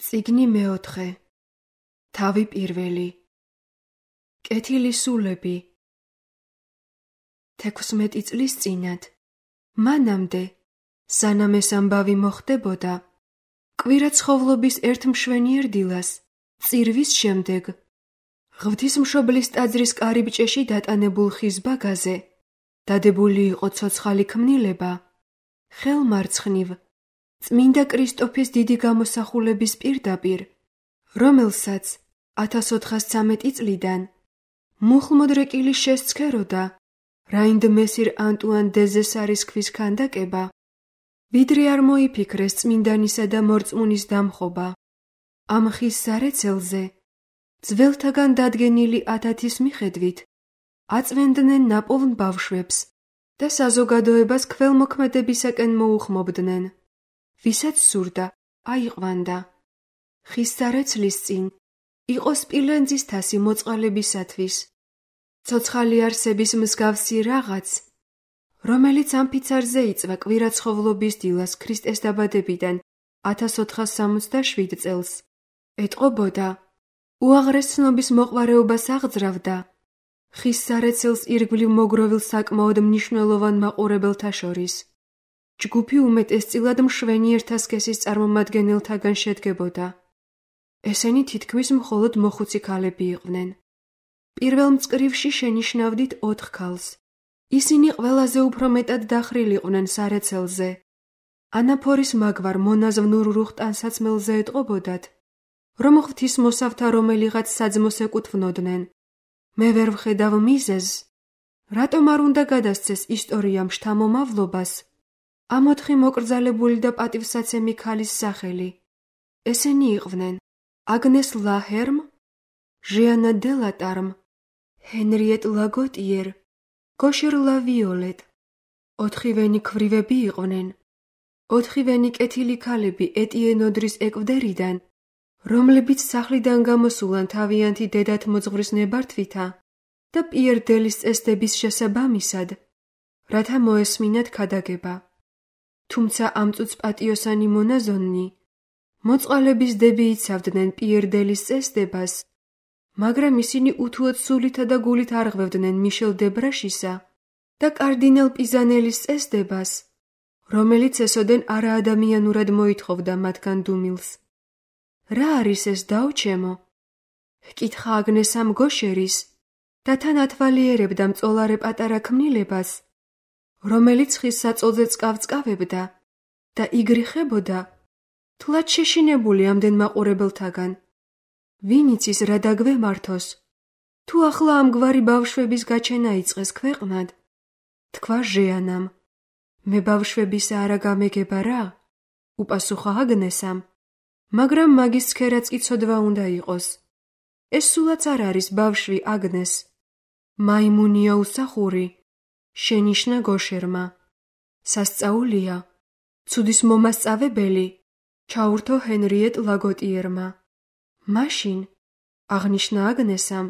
წიგნი მეოთხე, თავი პირველი, კეთილი სულები. 16 წლის წინათ, მანამდე, სანამ ეს ამბავი მოხდებოდა, კვირაცხოვლობის ერთ მშვენიერ დილას, წირვის შემდეგ, ღვთისმშობლის ტაძრის კარიბჭეში დატანებულ ხის ბაგაზე, დადებული იყო ცოცხალი ქმნილება, ხელმარცხნივ, წმინდა კრისტოფის დიდი გამოსახულების პირდაპირ, რომელსაც 1413 წლიდან მუხლმოდრეკილი შესცქეროდა რაინდ მესირ ანტუან დე ზესარის ქვის ქანდაკება, ვიდრე არ მოიფიქრეს წმინდანისა და მორწმუნის დამხობა. ამ ხის სარეცელზე, ძველთაგან დადგენილი ათათის მიხედვით, აწვენდნენ ნაპოვნ ბავშვებს და საზოგადოებას ქველმოქმედებისაკენ მოუხმობდნენ. ვისაც სურდა, აიყვანდა. ხის სარეცლის წინ იყო სპილენძის თასი მოწყალებისათვის, ცოცხალი არსების მსგავსი რაღაც, რომელიც ამფიცარზე იწვა კვირაცხოვლობის დილას ქრისტეს დაბადებიდან 1467 წელს, ეტყობოდა, უაღრეს ცნობის მოყვარეობას აღძრავდა ხის სარეცელს ირგვლივ მოგროვილ საკმაოდ მნიშვნელოვან მაყურებელთა შორის. ჯგუფი უმეტესწილად მშვენიერთა სქესის წარმომადგენელთაგან შედგებოდა. ესენი თითქმის მხოლოდ მოხუცი ქალები იყვნენ. პირველ მწკრივში შენიშნავდით 4 ქალს. ისინი ყველაზე უფრო მეტად დახრილიყვნენ სარეცელზე. ანაფორის მაგვარ მონაზვნურ რუხტანსაცმელზე ეტყობოდათ, რომ ღვთისმოსავთა რომელიღაც საძმოს ეკუთვნოდნენ. მე ვერ ვხედავ მიზეზს, რატომ არ უნდა გადასცეს ისტორიამ შთამომავლობას ამ 4 მოკრძალებული და პატივსაცემი ქალის სახელი. ესენი იყვნენ აგნეს ლაჰერმ, ჟიანა დე ლატარმ, ჰენრიეტ ლაგოტიერ, გოშერ ლავიოლეტ. 4-ვენი ქვრივები იყვნენ. 4-ვენი კეთილი ქალები ეტიენოდრის ეკვდერიდან, რომლებიც სახლიდან გამოსულან თავიანთი დედათ მოძღვრის ნებართვითა და პიერ დელის წესდების შესაბამისად, რათა მოესმინათ ქადაგება. თუმცა ამ წუთს პატიოსანი მონაზონნი, მოწყალების დები იცავდნენ პიერ დელის წესდებას, მაგრამ ისინი უთუოდ სულითა და გულით არღვევდნენ მიშელ დე ბრაშისა და კარდინალ პიზანელის წესდებას, რომელიც ესოდენ არაადამიანურად მოითხოვდა მათგან დუმილს. რა არის ეს დაუჩემო? ჰკითხა აგნესამ გოშერის და თან ათვალიერებდა მწოლარე პატარა ქმნილებას, რომელიც ხის საწოლზე წკავწკავებდა და იგრიხებოდა, თლად შეშინებული ამდენ მაყურებელთაგან. ვინ იცის რა დაგვემართოს, თუ ახლა ამგვარი ბავშვების გაჩენა იწყეს ქვეყნად? თქვა ჟეანამ. მე ბავშვებისა არა გამეგება რა? უპასუხა აგნესამ. მაგრამ მაგის ცქერაც კი ცოდვა უნდა იყოს. ეს სულაც არ არის ბავშვი, აგნეს. მაიმუნია უსახური, შენიშნა გოშერმა. სასწაულია, ცუდის მომასწავებელი, ჩაურთო ჰენრიეტ ლაგოტიერმა. მაშინ, აღნიშნა აგნესამ,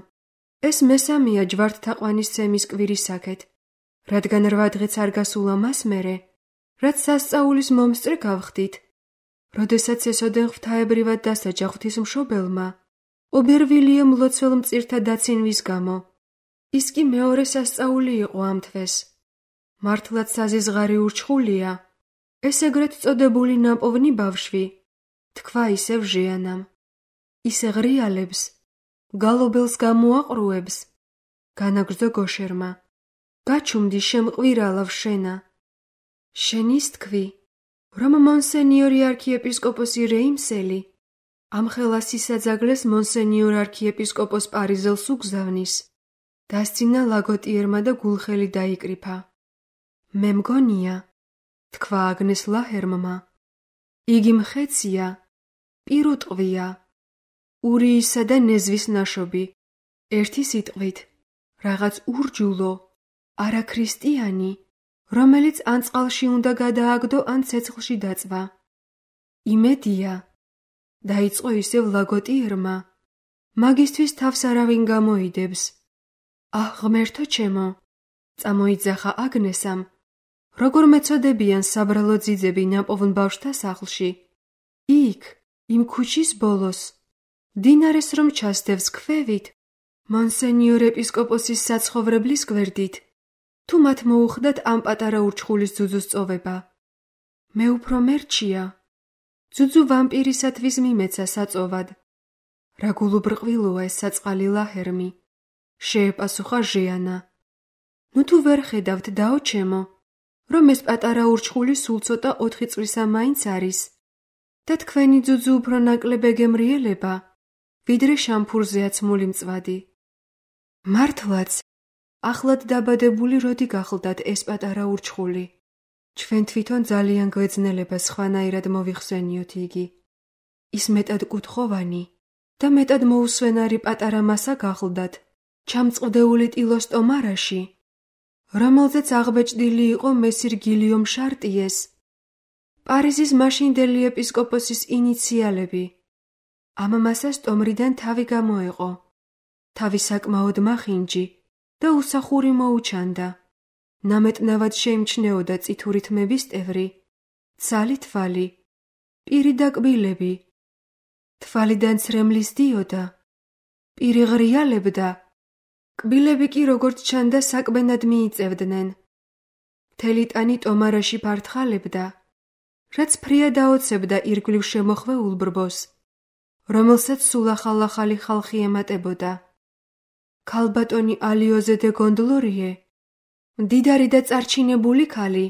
ეს მესამეა ჯვართთაყვანისცემის კვირისაკეთ, რადგან 8 დღეც არ გასულა მას მერე, რაც სასწაულის მომსწრე გავხდით, როდესაც ესოდენ ღვთაებრივად დასაჯა ღვთისმშობელმა, ობერვილიამ ლოცველ მწირთა დაცინვის გამო. ის კი მეორე სასწაული იყო ამ თვეს. მართლაც საზიზღარი ურჩხულია, ეს ეგრეთ წოდებული ნაპოვნი ბავშვი, თქვა ისევ ჟეანამ. ისე ღრიალებს, გალობელს გამოაყრუებს, განაგრძო გოშერმა. გაჩუმდი შემყვირალავ შენა. შენ ის თქვი, რომ მონსენიორი არქიეპისკოპოსი რეიმსელი ამ ხელას ისაძაგლეს მონსენიორ არქიეპისკოპოს პარიზელს უგზავნის. დასცინა ლაგოტიერმა და გულხელი დაიკრიფა. მე მგონია, თქვა აგნეს ლაჰერმმა, იგი მხეცია, პირუტყვია, ურიისა და ნეზვის ნაშობი, ერთი სიტყვით, რაღაც ურჯულო, არაქრისტიანი, რომელიც ან წყალში უნდა გადააგდო, ან ცეცხლში დაწვა. იმედია, დაიწყო ისევ ლაგოტიერმა, მაგისთვის თავს არავინ გამოიდებს. აჰ, ღმერთო ჩემო, წამოიძახა აგნესამ, როგორ მეწოდებიან საბრალო ძიძები ნაპოვნ ბავშვთა სახლში. იქ, იმ ქუჩის ბოლოს, დინარეს რომ ჩასდევს ქვევით, მონსენიორ ეპისკოპოსის საცხოვრებლის გვერდით, თუ მათ მოუხდათ ამ პატარა ურჩხულის ძუძუს წოვება. მე უფრო მერჩია. ძუძუ ვამპირისათვის მიმეცა საწოვად. რა გულუბრყვილოა ეს საწყალი ლაჰერმი, შეეპასუხა ჟიანა. ნუ თუ ვერ ხედავთ დაო ჩემო, რომ ეს პატარა ურჩხული სულ ცოტა 4 წლისა მაინც არის და თქვენი ძუძუ უფრო ნაკლებ ეგემრიელება, ვიდრე შამფურზეა ცმული მწვადი. მართლაც, ახლად დაბადებული როდი გახლდათ ეს პატარა ურჩხული? ჩვენ თვითონ ძალიან გვეძნელება სხვანაირად მოვიხსენიოთ იგი. ის მეტად კუთხოვანი და მეტად მოუსვენარი პატარა მასა გახლდათ, ჩამწყვდეული ტილოს ტომარაში, რომელზეც აღბეჭდილი იყო მესირ გილიომ შარტიეს, პარიზის მაშინდელი ეპისკოპოსის ინიციალები. ამ მასას ტომრიდან თავი გამოეყო, თავი საკმაოდ მახინჯი და უსახური მოუჩანდა. ნამეტნავად შეიმჩნეოდა წითური თმების ტევრი, ცალი თვალი, პირი და კბილები. თვალიდან ცრემლის დიოდა, პირი ღრიალებდა, კბილები კი როგორც ჩანდა საკბენად მიიწევდნენ. მთელი ტანი ტომარაში ფართხალებდა, რაც ფრია დაოცებდა ირგვლივ შემოხვეულ ბრბოს, რომელსაც სულ ახალ-ახალი ხალხი ემატებოდა. ქალბატონი ალიოზე დე გონდლორიე, მდიდარი და წარჩინებული ქალი,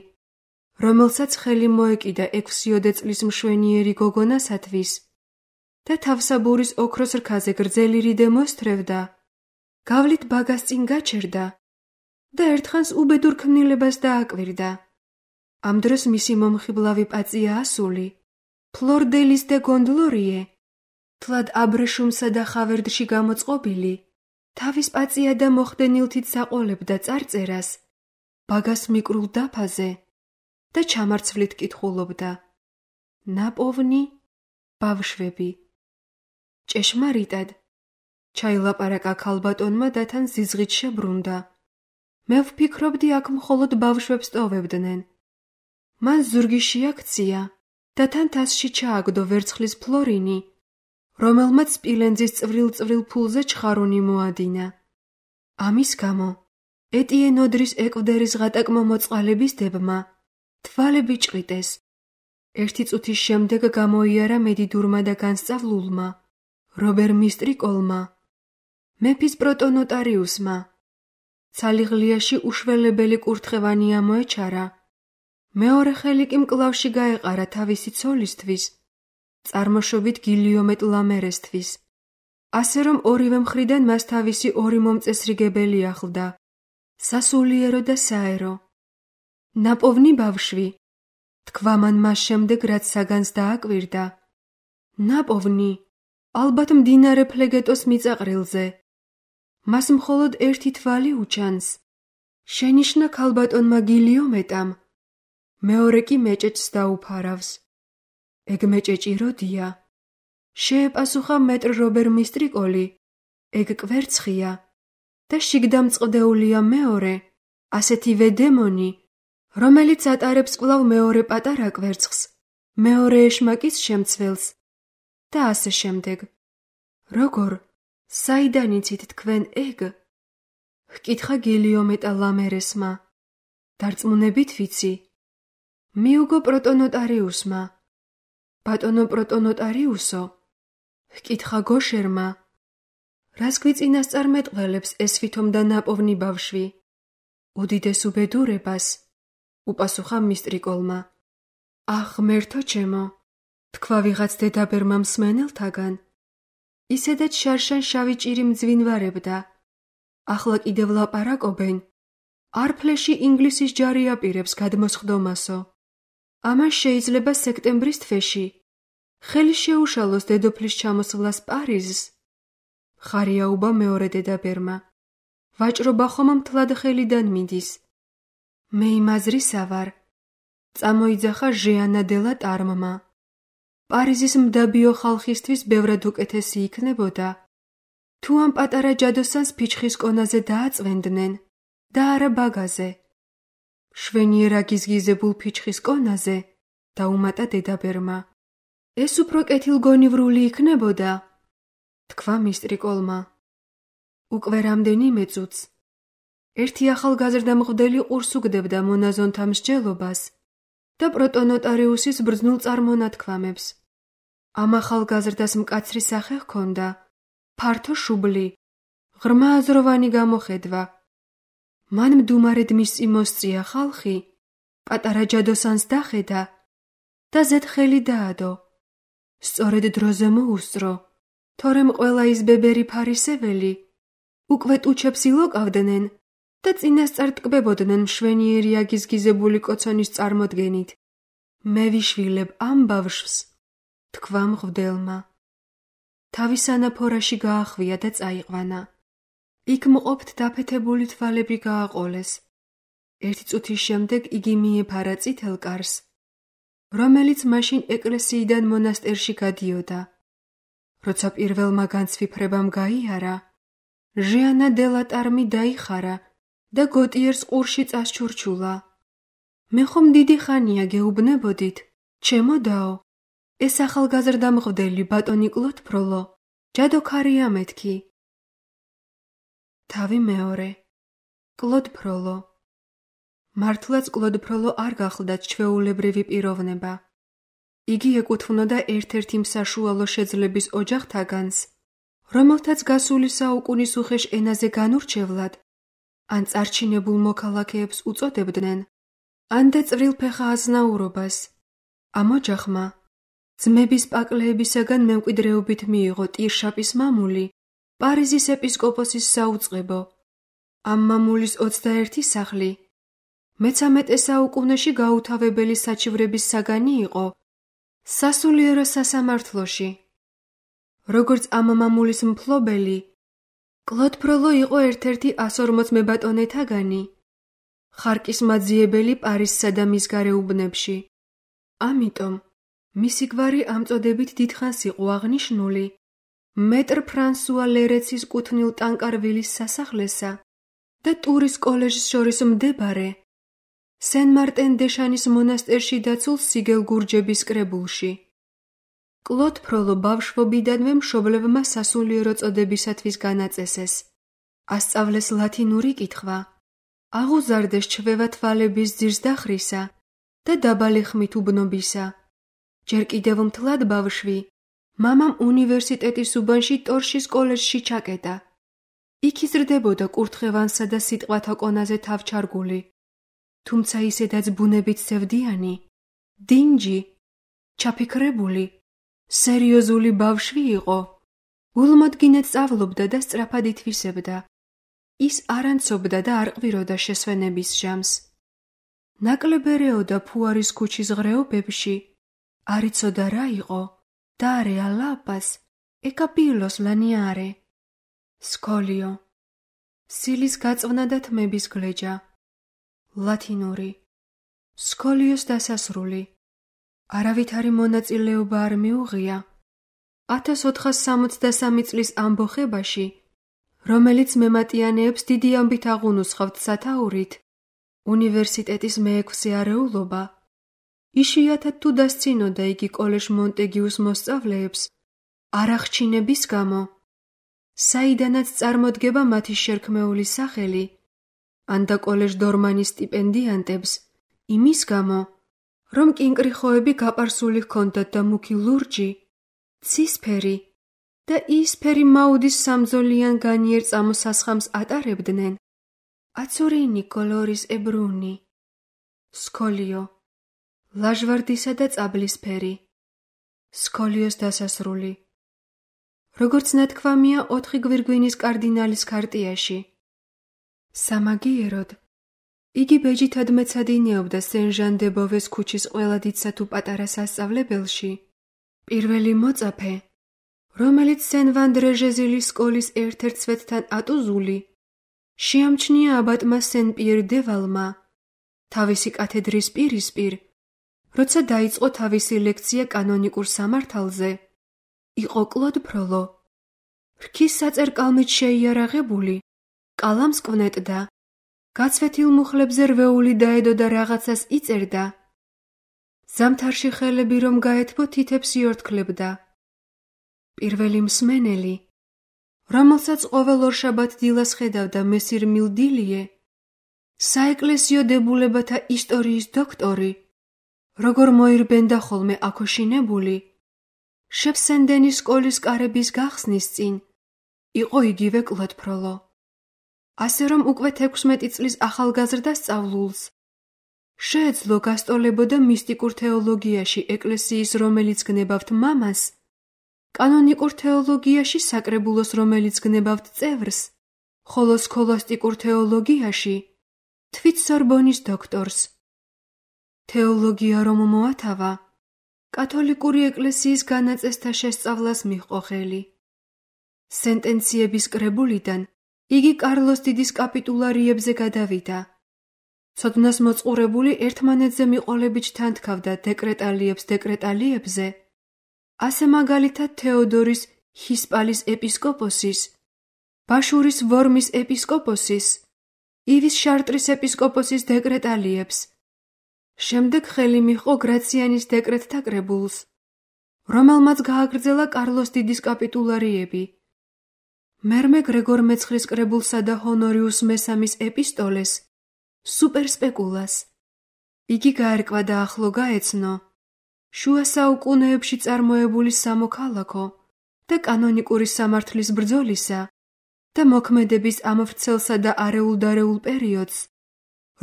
რომელსაც ხელი მოეკიდა 6 წლის მშვენიერი გოგონასათვის და თავსაბურის ოქროს რქაზე გრძელი რიდე მოსთრევდა, გავლით ბაგას წინ გაჩერდა და ერთხანს უბედურ ქმნილებას დააკვირდა. ამ დროს მისი მომხიბლავი პაწია ასული, ფლორ დე ლის დე გონდლორიე, თლად აბრეშუმსა და ხავერდში გამოწყობილი, თავის პაწია და მოხდენილთით საყოლებდა წარწერას, ბაგას მიკრულ დაფაზე და ჩამარცვლით კითხულობდა. ნაპოვნი ბავშვები. ჭეშმარიტად, ჩაილაპარაკა ქალბატონმა და თან ზიზღით შებრუნდა. მე ვფიქრობდი აქ მხოლოდ ბავშვებს ტოვებდნენ. მან ზურგი შეაქცია და თან თასში ჩააგდო ვერცხლის ფლორინი, რომელმაც სპილენძის წვრილ-წვრილ ფულზე ჩხარუნი მოადინა. ამის გამო ეტიენ ოდრის ეკვდერის ღატაკმა მოწყალების დებმა თვალები ჭყიტეს. 1 წუთის შემდეგ გამოიარა მედიდურმა და განსწავლულმა, რობერ მისტრიკოლმა, მეფის პროტონოტარიუსმა. ცალიღლიაში უშველებელი კურთხევანი ამოეჩარა. მეორე ხელი კი მკლავში გაეყარა თავისი ცოლისთვის, წარმოშობით გილიომეტ ლამერესთვის, ასე რომ ორივე მხრიდან მას თავისი 2 მომწესრიგებელი ახლდა, სასულიერო და საერო. ნაპოვნი ბავშვი, თქვა მან მას შემდეგ, რაც საგანს დააკვირდა. ნაპოვნი, ალბათ მდინარე ფლეგეტოს მიწაყრილზე. მას მხოლოდ 1 თვალი უჩანს. შენიშნა ქალბატონმა გილიომეტამ, მეორე კი მეჭეჭს დაუფარავს. ეგ მეჭეჭი როდია? შეეპასუხა მეტრ რობერ მისტრიკოლი, ეგ კვერცხია და შიგდამწყდეულია მეორე, ასეთივე დემონი, რომელიც ატარებს კვლავ მეორე პატარა კვერცხს, მეორე ეშმაკის შემცველს და ასე შემდეგ. როგორ? საიდან იცით თქვენ ეგ? ჰკითხა გილიომეტა ლამერესმა. დარწმუნებით ვიცი. მიუგო პროტონოტარიუსმა. ბატონო პროტონოტარიუსო, ჰკითხა გოშერმა. რას გვიწინასწარმეტყველებს ეს ვითომ და ნაპოვნი ბავშვი? უდიდეს უბედურებას, უპასუხა მისტრიკოლმა. ახ, ღმერთო ჩემო, თქვა ვიღაც დედაბერმა მსმენელთაგან. ისედაც შარშან შავი ჭირი მძვინვარებდა. ახლა კიდევ ლაპარაკობენ. არფლეში ინგლისის ჯარი აპირებს გადმოსხდომასო. ამან შეიძლება სექტემბრის თვეში ხელი შეუშალოს დედოფლის ჩამოსვლას პარიზს. ხარიაუბა მეორე დედაბერმა. ვაჭრობა ხომ მთლად ხელიდან მიდის. მე იმაზრისა ვარ. წამოიძახა ჟიანა დე ლა ტარმმა. პარიზის მდაბიო ხალხისთვის ბევრად უკეთესი იქნებოდა, თუ ამ პატარა ჯადოსანს ფიჩხის კონაზე დააწვენდნენ და არა ბაგაზე. შვენიერა გიზგიზებულ ფიჩხის კონაზე, დაუმატა დედაბერმა. ეს უფრო კეთილგონივრული იქნებოდა, თქვა მისტრიკოლმა. უკვე რამდენიმე წუთს ერთი ახალგაზრდა მღვდელი ყურს უგდებდა მონაზონთა მსჯელობას და პროტონოტარიუსის ბრძნულ წარმონათქვამებს. ამ ახალგაზრდას მკაცრი სახე ჰქონდა, ფართო შუბლი, ღრმა აზროვანი გამოხედვა. მან მდუმარედ მისი მოსწია ხალხი, პატარა ჯადოსანს დახედა და ზეთხელი დაადო. სწორედ დროზე მოუსწრო, თორემ ყველა ის ბებერი ფარისეველი უკვე ტუჩებს ილოკავდნენ და წინასწარ ტკბებოდნენ მშვენიერი აგიზგიზებული კოცონის წარმოდგენით. მე ვიშვილებ ამ ბავშვს, თქვა მღვდელმა. თავის ანაფორაში გაახვია და წაიყვანა. იქ მყოფთ დაფეთებული თვალები გააყოლეს. ერთი წუთის შემდეგ იგი მიეფარა წითელ კარს, რომელიც მაშინ ეკლესიიდან მონასტერში გადიოდა. როცა პირველმა განცვიფრებამ გაიარა, ჟიანა დე ლატარმი დაიხარა და გოტიერს ყურში წასჩურჩულა. მე ხომ დიდი ხანია გეუბნებოდით, ჩემო დაო, ეს ახალგაზრდა მღვდელი ბატონი კლოდ ფროლო, ჯადოქარია მეთქი. თავი მეორე. კლოდ ფროლო. მართლაც კლოდ ფროლო არ გახლდათ ჩვეულებრივი პიროვნება. იგი ეკუთვნოდა ერთ-ერთი მსაშუალო შეძლების ოჯახთაგანს, რომელთაც გასული საუკუნის უხეშ ენაზე განურჩევლად, ან წარჩინებულ მოქალაქეებს უწოდებდნენ, ან და წვრილფეხა აზნაურობას. ამ ოჯახმა ძმების პაკლეებისაგან მემკვიდრეობით მიიღო ტირშაპის მამული, პარიზის ეპისკოპოსის საუწყებო. ამ მამულის 21 სახლი მე-13 საუკუნეში გაუთავებელი საჩივრების საგანი იყო სასულიერო სასამართლოში. როგორც ამ მამულის მფლობელი, კლოდ ფროლო იყო ერთ-ერთი 140 მებატონეთაგანი, ხარკის მაძიებელი პარიზსა და მის გარეუბნებში. ამიტომ მისი გვარი ამ წოდებით დიდხანს იყო აღნიშნული მეტრ ფრანსუა ლერეცის კუთვნილ ტანკარვილის სასახლესა და ტურის კოლეჟს შორის მდებარე სენ-მარტენ-დე-შანის მონასტერში დაცულ სიგელ გურჯების კრებულში. კლოდ ფროლო ბავშვობიდანვე მშობლებმა სასულიერო წოდებისათვის განაწესეს. ასწავლეს ლათინური კითხვა, აღუზარდეს ჩვევა თვალების ძირს დახრისა და დაბალი ხმით უბნობისა. ჯერ კიდევ მთლად ბავშვი, მამამ უნივერსიტეტის უბანში ტორშის კოლეჟში ჩაკეტა. იქ იზრდებოდა კურთხევანსა და სიტყვათა კონაზე თავჩარგული, თუმცა ისედაც ბუნებით სევდიანი, დინჯი, ჩაფიქრებული, სერიოზული ბავშვი იყო. გულმოდგინედ სწავლობდა და სწრაფად ითვისებდა. ის არ ანცობდა და არ ყვიროდა შესვენების ჟამს. ნაკლებ ერეოდა ფუარის ქუჩის ღრეობებში, არ იცოდა რა იყო დარე ალაპას ეკაპილოს ლანიარე. სკოლიო, სილის გაწვნა და თმების გლეჯა. ლათინური, სკოლიოს დასასრული. არავითარი მონაწილეობა არ მიუღია 1463 წლის ამბოხებაში, რომელიც მემატიანეებს დიდი ამბით აღუნუსხავთ სათაურით, უნივერსიტეტის მე-6 არეულობა. იშვიათად თუ დასცინოდა იგი კოლეჟ მონტეგიუს მოსწავლეებს არახჩინების გამო, საიდანაც წარმოდგება მათი შერქმეული სახელი, ან და კოლეჟ დორმანის სტიპენდიანტებს იმის გამო, რომ კინკრიხოები გაპარსული ჰქონდათ და მუქი ლურჯი, ცისფერი და ისფერი მაუდის სამძოლიან განიერ წამოსასხამს ატარებდნენ. აცურინი კოლორის ებრუნი. სკოლიო, ლაჟვარდისა და წაბლისფერი. სკოლიოს დასასრული. როგორც ნათქვამია 4 გვირგვინის კარდინალის ქარტიაში. სამაგიეროდ, იგი ბეჯითად მეცადინეობდა სენ-ჟან-დე-ბოვეს ქუჩის ყველა დიდსა თუ პატარა სასწავლებელში. პირველი მოწაფე, რომელიც სენ-ვანდრეჟეზილის სკოლის ერთ-ერთ სვეტთან ატუზული, შეამჩნია აბატმა სენ-პიერ-დე-ვალმა, თავისი კათედრის პირისპირ, როცა დაიწყო თავისი ლექცია კანონიკურ სამართალზე, იყო კლოდ ფროლო. რქის საწერ-კალმით შეიარაღებული, კალამს კვნეტდა, გაცვეთილ მუხლებზე რვეული დაედო და რაღაცას იწერდა. ზამთარში ხელები რომ გაეთბო თითებს იორთქლებდა. პირველი მსმენელი, რომელსაც ყოველ ორშაბათ დილას ხედავდა მესირ მილდილიე, საეკლესიო დებულებათა ისტორიის დოქტორი, როგორ მოირბენდა ხოლმე აქოშინებული, შეფსენდენის სკოლის კარების გახსნის წინ, იყო იგივე კლოდ ფროლო. ასე რომ უკვე 16 წლის ახალგაზრდა სწავლულს შეეძლო გასტოლებოდა მისტიკურ თეოლოგიაში ეკლესიის, რომელიც გნებავთ მამას, კანონიკურ თეოლოგიაში საკრებულოს, რომელიც გნებავთ წევრს, ხოლო სქოლასტიკურ თეოლოგიაში თვით სორბონის დოქტორს. თეოლოგია რომ მოათავა, კათოლიკური ეკლესიის განაწესთა შესწავლას მიჰყო ხელი. სენტენციების კრებულიდან იგი კარლოს დიდის კაპიტულარიებზე გადავიდა. ცოდნას მოწყურებული ერთმანეთზე მიყოლებით თანთქავდა დეკრეტალიებზე, ასე მაგალითად თეოდორის ჰისპალის ეპისკოპოსის, ბაშურის ვორმის ეპისკოპოსის, ივის შარტრის ეპისკოპოსის დეკრეტალიებს. შემდეგ ხელი მიჰყო გრაციანის დეკრეტთა კრებულს, რომელმაც გააგრძელა კარლოს დიდის კაპიტულარიები. მერმე გრეგორ მეცხრის კრებულსა და ჰონორიუს მესამის ეპისტოლეს, სუპერსპეკულას. იგი გაერკვა და ახლო გაეცნო შუა საუკუნეებში წარმოებული სამოქალაქო და კანონიკური სამართლის ბრძოლისა და მოქმედების ამ ვრცელსა და არეულ-დარეულ პერიოდს,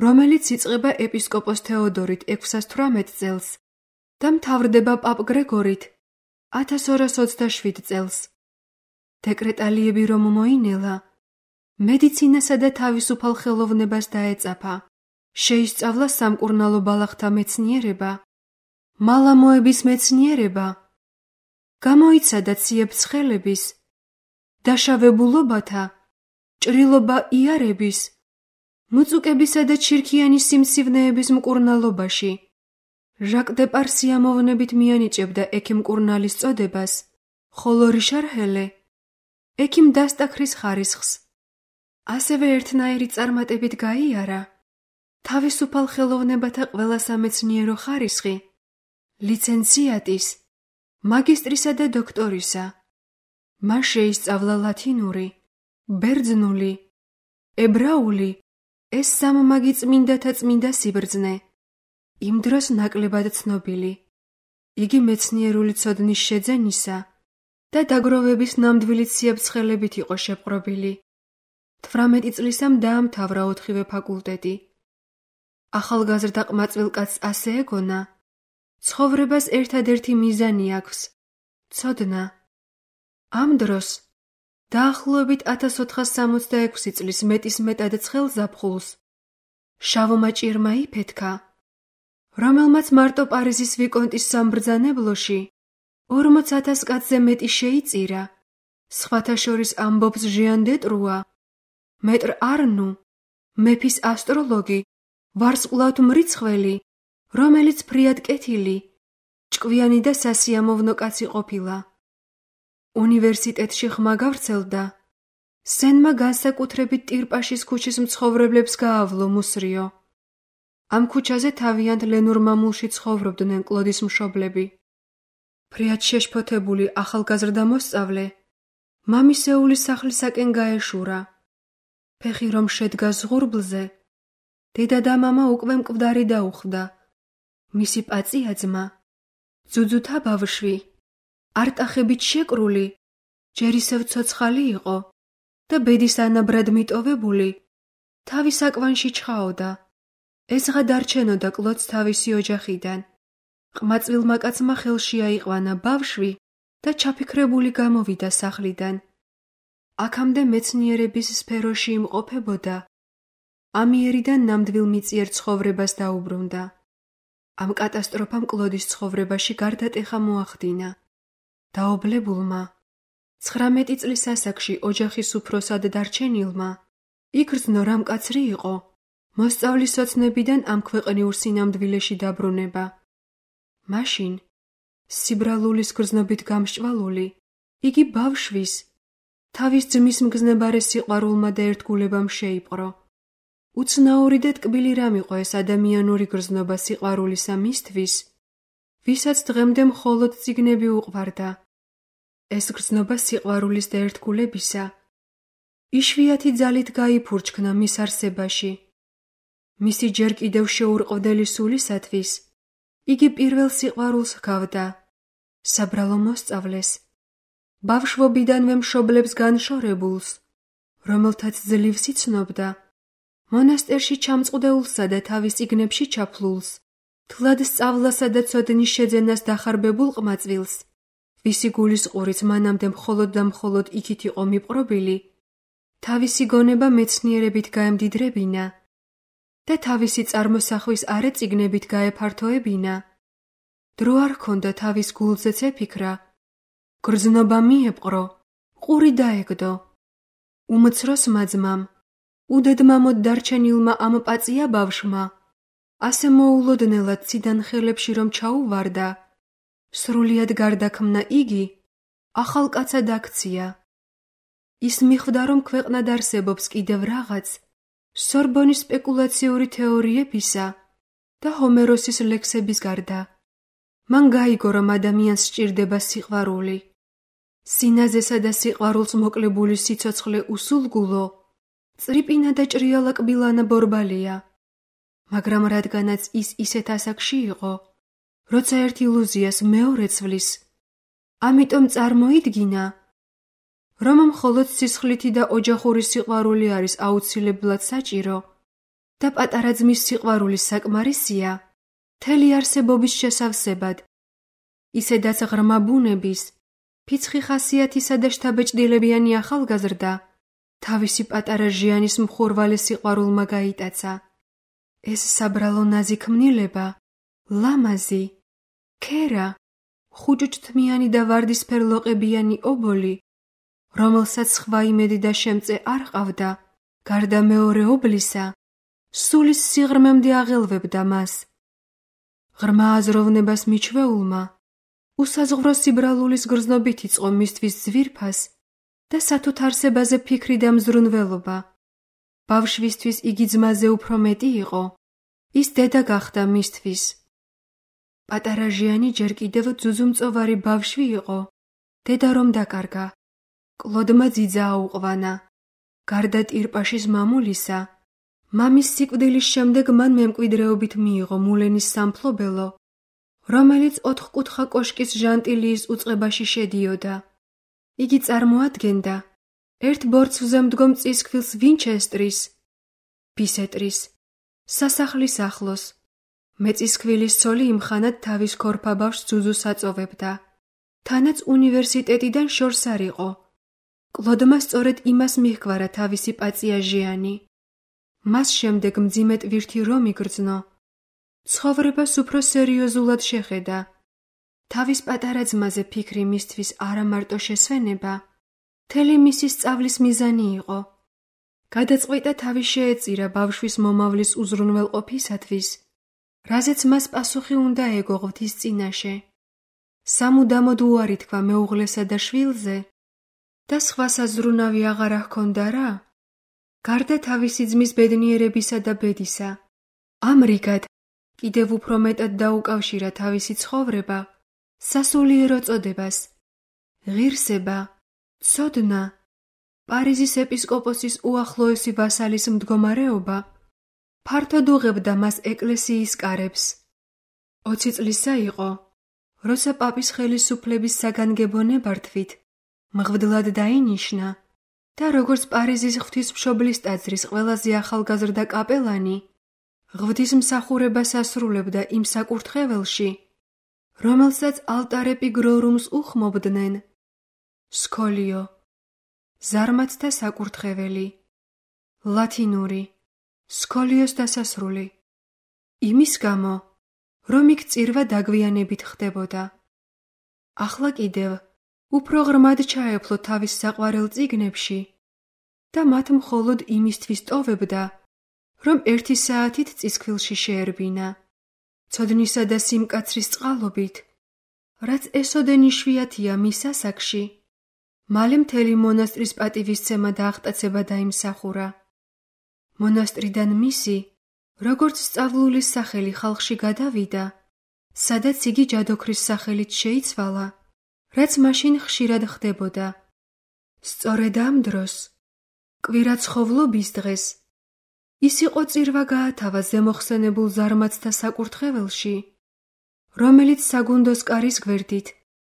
რომელიც იწყება ეპისკოპოს თეოდორით 618 წელს და მთავრდება პაპ გრეგორით 1227 წელს. დეკრეტალიები რომ მოინელა, მედიცინასა და თავისუფალ ხელოვნებას დაეწაფა, შეისწავლა სამკურნალო ბალახთა მეცნიერება, მალამოების მეცნიერება, გამოიცადა ციებ-ცხელების, დაშავებულობათა, ჭრილობა იარების, მუწუკებისა და ჩირქიანის სიმსივნეების მკურნალობაში. ჟაკ დე პარ სიამოვნებით მიანიჭებდა ექიმ მკურნალის წოდებას, ხოლო რიშარ ჰელე ექიმ დასტაქრის ხარისხს. ასევე ერთნაირი წარმატებით გაიარა თავისუფალ ხელოვნებათა ყველა სამეცნიერო ხარისხი, ლიცენციატის, მაგისტრისა და დოქტორისა. მან შეისწავლა ლათინური, ბერძნული, ებრაული, ეს სამმაგი წმინდათა წმინდა სიბრძნე, იმ დროს ნაკლებად ცნობილი. იგი მეცნიერული ცოდნის შეძენისა და დაგროვების ნამდვილი ციებ-ცხელებით იყო შეპყრობილი. 18 წლისამ დაამთავრა 4-ვე ფაკულტეტი. ახალგაზრდა ყმაწვილ კაცს ასე ეგონა, ცხოვრებას ერთადერთი მიზანი აქვს, ცოდნა. ამ დროს დაახლოებით 1466 წლის მეტისმეტად ცხელ ზაფხულს შავმა ჭირმა იფეთქა, რომელმაც მარტო პარიზის ვიკონტის სამბრძანებლოში 40,000 კაცზე მეტი შეიწირა, სხვათა შორის ამბობს ჟიან დე ტრუა, მეტრ არნუ, მეფის ასტროლოგი, ვარსკვლავთ მრიცხველი, რომელიც ფრიად კეთილი, ჭკვიანი და სასიამოვნო კაცი ყოფილა. უნივერსიტეტში ხმა გავრცელდა. სენმა განსაკუთრებით ტირპაშის ქუჩის მცხოვრებლებს გაავლო მუსრიო. ამ ქუჩაზე თავიანთ ლენურ მამულში ცხოვრობდნენ კლოდის მშობლები. ფრიად შეშფოთებული ახალგაზრდა მოსწავლე მამისეულის სახლისაკენ გაეშურა. ფეხი რომ შედგა ზღურბლზე, დედა და მამა უკვე მკვდარი დაუხვდა. მისი პაწია ძმა, ძუძუთა ბავშვი, არტახებით შეკრული, ჯერ ისევ ცოცხალი იყო და ბედის ანაბრად მიტოვებული, თავის აკვანში ჩხაოდა. ეზღა დარჩენოდა კლოდს თავისი ოჯახიდან. ყმაწვილმა კაცმა ხელში აიყვანა ბავშვი და ჩაფიქრებული გამოვიდა სახლიდან. აქამდე მეცნიერების სფეროში იმყოფებოდა. ამიერიდან ნამდვილ მიწიერ ცხოვრებას დაუბრუნდა. ამ კატასტროფამ კლოდის ცხოვრებაში გარდატეხა მოახდინა. დაობლებულმა, 19 წლის ასაკში ოჯახის უფროსად დარჩენილმა, იგრძნო რამ კაცრი იყო, მოსწავლის ოცნებიდან ამ ქვეყნიურ სინამდვილეში დაბრუნება. მაშინ, სიბრალულის გრძნობით გამსჭვალული, იგი ბავშვის, თავის ძმის მგზნებარე სიყვარულმა და ერთგულებამ შეიპყრო. უცნაური და ტკბილი რამ იყო ეს ადამიანური გრძნობა სიყვარულისა მისთვის, ვისაც დღემდე მხოლოდ წიგნები უყვარდა. ეს გრძნობა სიყვარულის და ერთგულებისა იშვიათი ძალით გაიფურჩქნა მის არსებაში. მისი ჯერ კიდევ შეურყვდელი სულისათვის იგი პირველ სიყვარულს ჰგავდა, საბრალო მოსწავლეს, ბავშვობიდანვე მშობლებს განშორებულს, რომელთაც ძლივს იცნობდა, მონასტერში ჩამწყვდეულსა და თავის წიგნებში ჩაფლულს, თლად სწავლასა და ცოდნის შეძენას დახარბებულ ყმაწვილს, ვისი გულის ყურიც მანამდე მხოლოდ და მხოლოდ იქით იყო მიპყრობილი, თავისი გონება მეცნიერებით გაემდიდრებინა და თავისი წარმოსახვის არე წიგნებით გაეფართოებინა. დრო არ ჰქონდა თავის გულზეც ეფიქრა, გრძნობა მიეპყრო, ყური დაეგდო. უმცროს მაძმამ, უდედმამოდ დარჩენილმა ამ პაწია ბავშვმა, ასე მოულოდნელად ციდან ხელებში რომ ჩაუვარდა, სრულიად გარდაქმნა იგი, ახალ კაცად აქცია. ის მიხვდა, რომ ქვეყნად არსებობს კიდევ რაღაც სორბონის სპეკულაციური თეორიებისა და ჰომეროსის ლექსების გარდა. მან გაიგო, რომ ადამიანს სჭირდება სიყვარული. სინაზესა და სიყვარულს მოკლებული სიცოცხლე უსულგულო, წრიპინა და ჭრიალა კბილანა ბორბალია. მაგრამ რადგანაც ის ისეთ ასაკში იყო, როცა ერთ ილუზიას მეორე ცვლის, ამიტომ წარმოიდგინა, რომ მხოლოდ სისხლითი და ოჯახური სიყვარული არის აუცილებლად საჭირო და პატარა ძმის სიყვარული საკმარისია მთელი არსებობის შესავსებად. ისედაც ღრმა ბუნების, ფიცხი ხასიათისა და შთაბეჭდილებიანი ახალგაზრდა თავისი პატარა ჟიანის მხურვალე სიყვარულმა გაიტაცა. ეს საბრალო ნაზიქმნილება, ლამაზი, ქერა, ხუჭუჭთმიანი და ვარდისფერ ლოყებიანი ობოლი, რომელსაც სხვა იმედი და შემწე არ ყავდა, გარდა მეორე ობლისა, სულის სიღრმემდე აღელვებდა მას. ღრმა აზროვნებას მიჩვეულმა, უსაზღვრო სიბრალულის გრძნობით იწყო მისთვის ძვირფას და სათუთ არსებაზე ფიქრი და მზრუნველობა. ბავშვისთვის იგი ძმაზე უფრო მეტი იყო, ის დედა გახდა მისთვის. პატარა ჟიანი ჯერ კიდევ ძუძუმწოვარი ბავშვი იყო, დედა რომ დაკარგა. კლოდმა ძიძა აუყვანა. გარდა ტირპაშის მამულისა, მამის სიკვდილის შემდეგ მან მემკვიდრეობით მიიღო მულენის სამფლობელო, რომელიც 4-კუთხა კოშკის ჟანტილიის უწყებაში შედიოდა. იგი წარმოადგენდა ერთ ბორცვზე მდგომ წისქვილს ვინჩესტრის, ბისეტრის, სასახლის ახლოს. მეწისქვილის ცოლი იმხანად თავის ქორფა ბავშვს ძუძუს აწოვებდა. თანაც უნივერსიტეტიდან შორს არ იყო. კლოდმა სწორედ იმას მიჰგვარა თავისი პაწია ჟიანი. მას შემდეგ მძიმე ტვირთი რომ იგრძნო. ცხოვრებას უფრო სერიოზულად შეხედა. თავის პატარა ძმაზე ფიქრი მისთვის არა მარტო შესვენება, მთელი მისი სწავლის მიზანი იყო. გადაწყვიტა თავი შეეწირა ბავშვის მომავლის უზრუნველყოფისათვის, რაზეც მას პასუხი უნდა ეგო ღვთის წინაშე. სამუდამოდ უარი თქვა მეუღლესა და შვილზე და სხვა საზრუნავი აღარ ჰქონდა რა? გარდა თავისი ძმის ბედნიერებისა და ბედისა, ამრიგად კიდევ უფრო მეტად დაუკავშირა თავისი ცხოვრება სასულიერო წოდებას, ღირსება, ცოდნა, პარიზის ეპისკოპოსის უახლოესი ვასალის მდგომარეობა, ფართოდ უღებდა მას ეკლესიის კარებს. 20 წლისა იყო, როცა პაპის ხელისუფლების საგანგებო ნებართვით მღვდლად დაინიშნა და როგორც პარიზის ღვთისმშობლის ტაძრის ყველაზე ახალგაზრდა კაპელანი, ღვთისმსახურებას ასრულებდა იმ საკურთხეველში, რომელსაც ალტარე პიგრორუმს უხმობდნენ. სკოლიო, ზარმაცთა საკურთხეველი, ლათინური, სკოლიოს დასასრული. იმის გამო, რომ იქ წირვა დაგვიანებით ხდებოდა. ახლა კიდევ უფრო ღრმად ჩაეფლო თავის საყვარელ წიგნებში და მათ მხოლოდ იმისთვის ტოვებდა, რომ 1 საათით წისქვილში შეერბინა. ცოდნისა და სიმკაცრის წყალობით, რაც ესოდენ იშვიათია მის ასაკში, მალე მთელი მონასტრის პატივისცემა და აღტაცება დაიმსახურა. მონასტრიდან მისი, როგორც სწავლულის სახელი ხალხში გადავიდა სადაც იგი ჯადოქრის სახელით შეიცვალა, რაც მაშინ ხშირად ხდებოდა. სწორედ ამ დროს, კვირაცხოვლობის დღეს, ის იყო წირვა გაათავა ზემოხსენებულ ზარმაცთა საკურთხეველში, რომელიც საგუნდოს კარის გვერდით,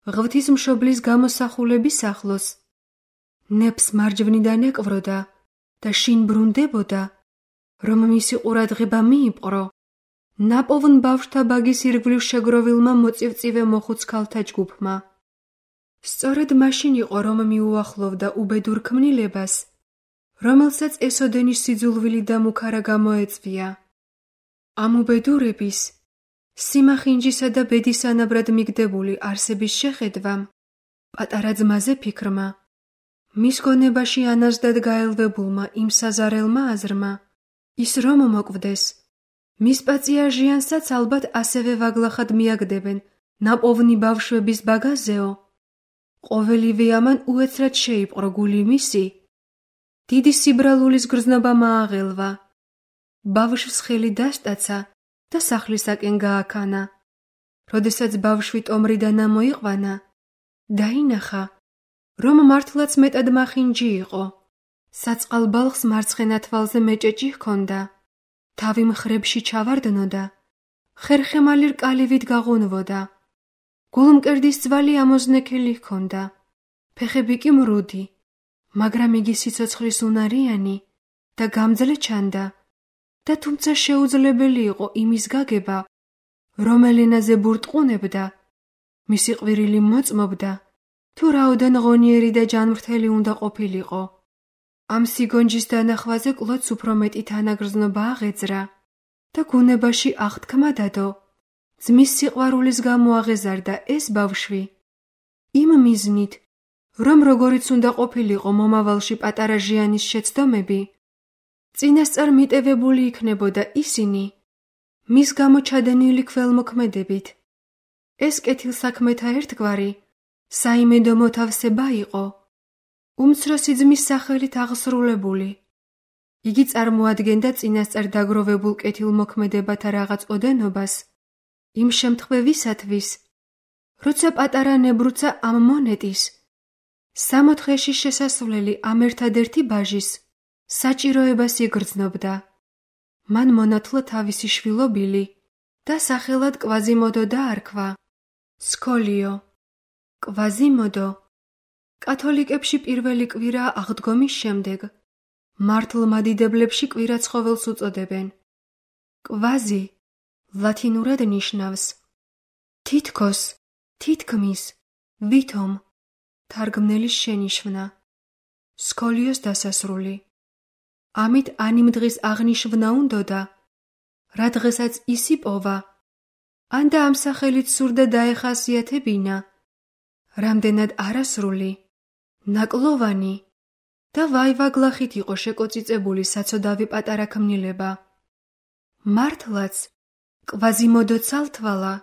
ღვთისმშობლის გამოსახულების ახლოს, ნეფს მარჯვნიდან ეკვროდა და შინ ბრუნდებოდა, რომ მისი ყურადღება მიიპყრო ნაპოვნ ბავშვთა ბაგის ირგვლივ შეგროვილმა მოწივწივე მოხუც ქალთა ჯგუფმა. სწორედ მაშინ იყო, რომ მიუახლოვდა უბედურ ქმნილებას, რომელსაც ესოდენის სიძულვილი და მუქარა გამოეწვია. ამ უბედურების, სიმახინჯისა და ბედისანაბრად მიგდებული არსების შეხედვამ, პატარა ძმაზე ფიქრმა, მის გონებაში ანაზდად გაელვებულმა იმ საზარელმა აზრმა, ის რომ მოკვდეს, მის პაწიაჟიანსაც ალბათ ასევე ვაგლახად მიაგდებენ ნაპოვნი ბავშვების ბაგაზეო, ყოველივე ამან უეცრად შეიპყრო გული მისი, დიდი სიბრალულის გრძნობა მააღელვა, ბავშვს ხელი დასტაცა და სახლისაკენ გააქანა. როდესაც ბავშვი ტომრიდან ამოიყვანა, დაინახა, რომ მართლაც მეტად მახინჯი იყო. საწყალ ბალხს მარცხენა თვალზე მეჭეჭი ჰქონდა, თავი მხრებში ჩავარდნოდა, ხერხემალი რკალივით გაღუნვოდა, გულმკერდის ძვალი ამოზნექილი ჰქონდა, ფეხები კი მრუდი, მაგრამ იგი სიცოცხლის უნარიანი და გამძლე ჩანდა და თუმცა შეუძლებელი იყო იმის გაგება, რომ ელენაზე ბურტყუნებდა, მისი ყვირილი მოწმობდა, თუ რაოდენ ღონიერი და ჯანმრთელი უნდა ყოფილიყო. ამ სიგონჯის დანახვაზე კლოდს უფრო მეტი თანაგრძნობა აღეძრა და გუნებაში აღთქმა დადო, ძმის სიყვარულის გამო აღეზარდა ეს ბავშვი. იმ მიზნით, რომ როგორიც უნდა ყოფილიყო მომავალში პატარა ჟიანის შეცდომები, წინასწარ მიტევებული იქნებოდა ისინი, მის გამო ჩადენილი ქველმოქმედებით. ეს კეთილსაქმეთა ერთგვარი, საიმედო მოთავსება იყო, უმცროსი ძმის სახელით აღსრულებული. იგი წარმოადგენდა წინასწარ დაგროვებულ კეთილმოქმედებათა რაღაც ოდენობას, იმ შემთხვევისათვის, როცა პატარა ნებრუცა ამ მონეტის, 60-ში შესასვლელი ამ ერთადერთი ბაჟის, საჭიროებას იგრძნობდა. მან მონათლა თავისი შვილობილი და სახელად კვაზიმოდო დაარქვა. სკოლიო. კვაზიმოდო კათოლიკებში პირველი კვირაა აღდგომის შემდეგ, მართლ მადიდებლებში კვირაცხოველს უწოდებენ. კვაზი ლათინურად ნიშნავს თითქოს, თითქმის, ვითომ, თარგმნელის შენიშვნა. სკოლიოს დასასრული. ამით ანიმ დღის აღნიშვნა უნდოდა, რა დღესაც ის იპოვა, ან და ამ სახელით სურდა დაეხასიათებინა, რამდენად არასრული, ნაკლოვანი და ვაივაგლახით იყო შეკოწიწებული საცოდავი პატარა ქმნილება. მართლაც, კვაზიმოდო ცალთვალა,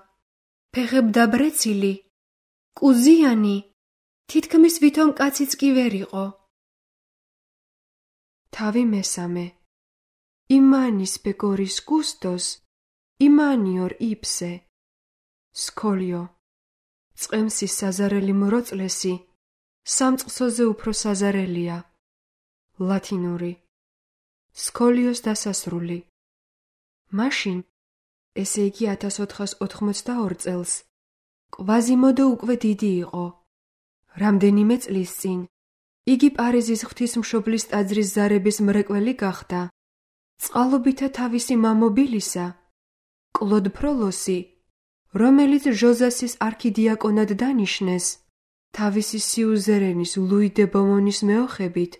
ფეხებდაბრეცილი, კუზიანი, თითქმის ვითომ კაციც კი ვერ იყო. თავი მესამე. იმანის პეგორის გუსტოს, იმანიორ იფსე. სკოლიო. წყემსის საზარელი მროწლესი, სამწყსოზე უფრო საზარელია. ლათინური. სკოლიოს დასასრული. მაშინ, ესე იგი 1482 წელს, კვაზიმოდო უკვე დიდი იყო. რამდენიმე წლის წინ, იგი პარიზის ღვთისმშობლის ტაძრის ზარების მრეკველი გახდა. წყალობითა თავისი მამობილისა, კლოდ ფროლოსი, რომელიც ჟოზასის არქიდიაკონად დანიშნეს, თავისი სიუზერენის ლუი დე ბომონის მეოხებით,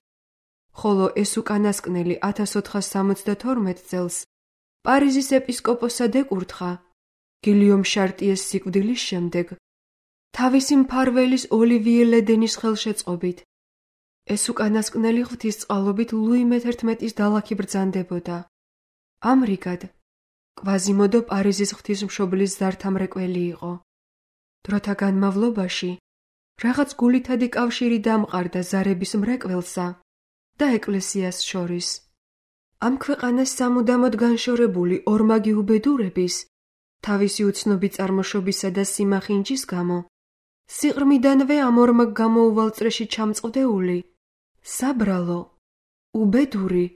ხოლო ეს უკანასკნელი 1472 წელს პარიზის ეპისკოპოსად ეკურთხა, გილიომ შარტიეს სიკვდილის შემდეგ, თავისი მფარველის ოლივიე ლედენის ხელშეწყობით. ეს უკანასკნელი ღვთისწყალობით ლუი მე-11-ის დალაქი ბრძანდებოდა. ამრიგად, კვაზიმოდო პარიზის ღვთისმშობლის ზართა მრეკველი იყო. დროთა განმავლობაში რაღაც გულითადი კავშირი დამყარდა ზარების მრეკველსა და ეკლესიას შორის. ამ ქვეყანას სამუდამოდ განშორებული ორმაგი უბედურების თავისი უცნობი წარმოშობისა და სიმახინჯის გამო, სიყრმიდანვე ამ ორმაგ გამოუვალ წრეში ჩამწყდეული, საბრალო, უბედური,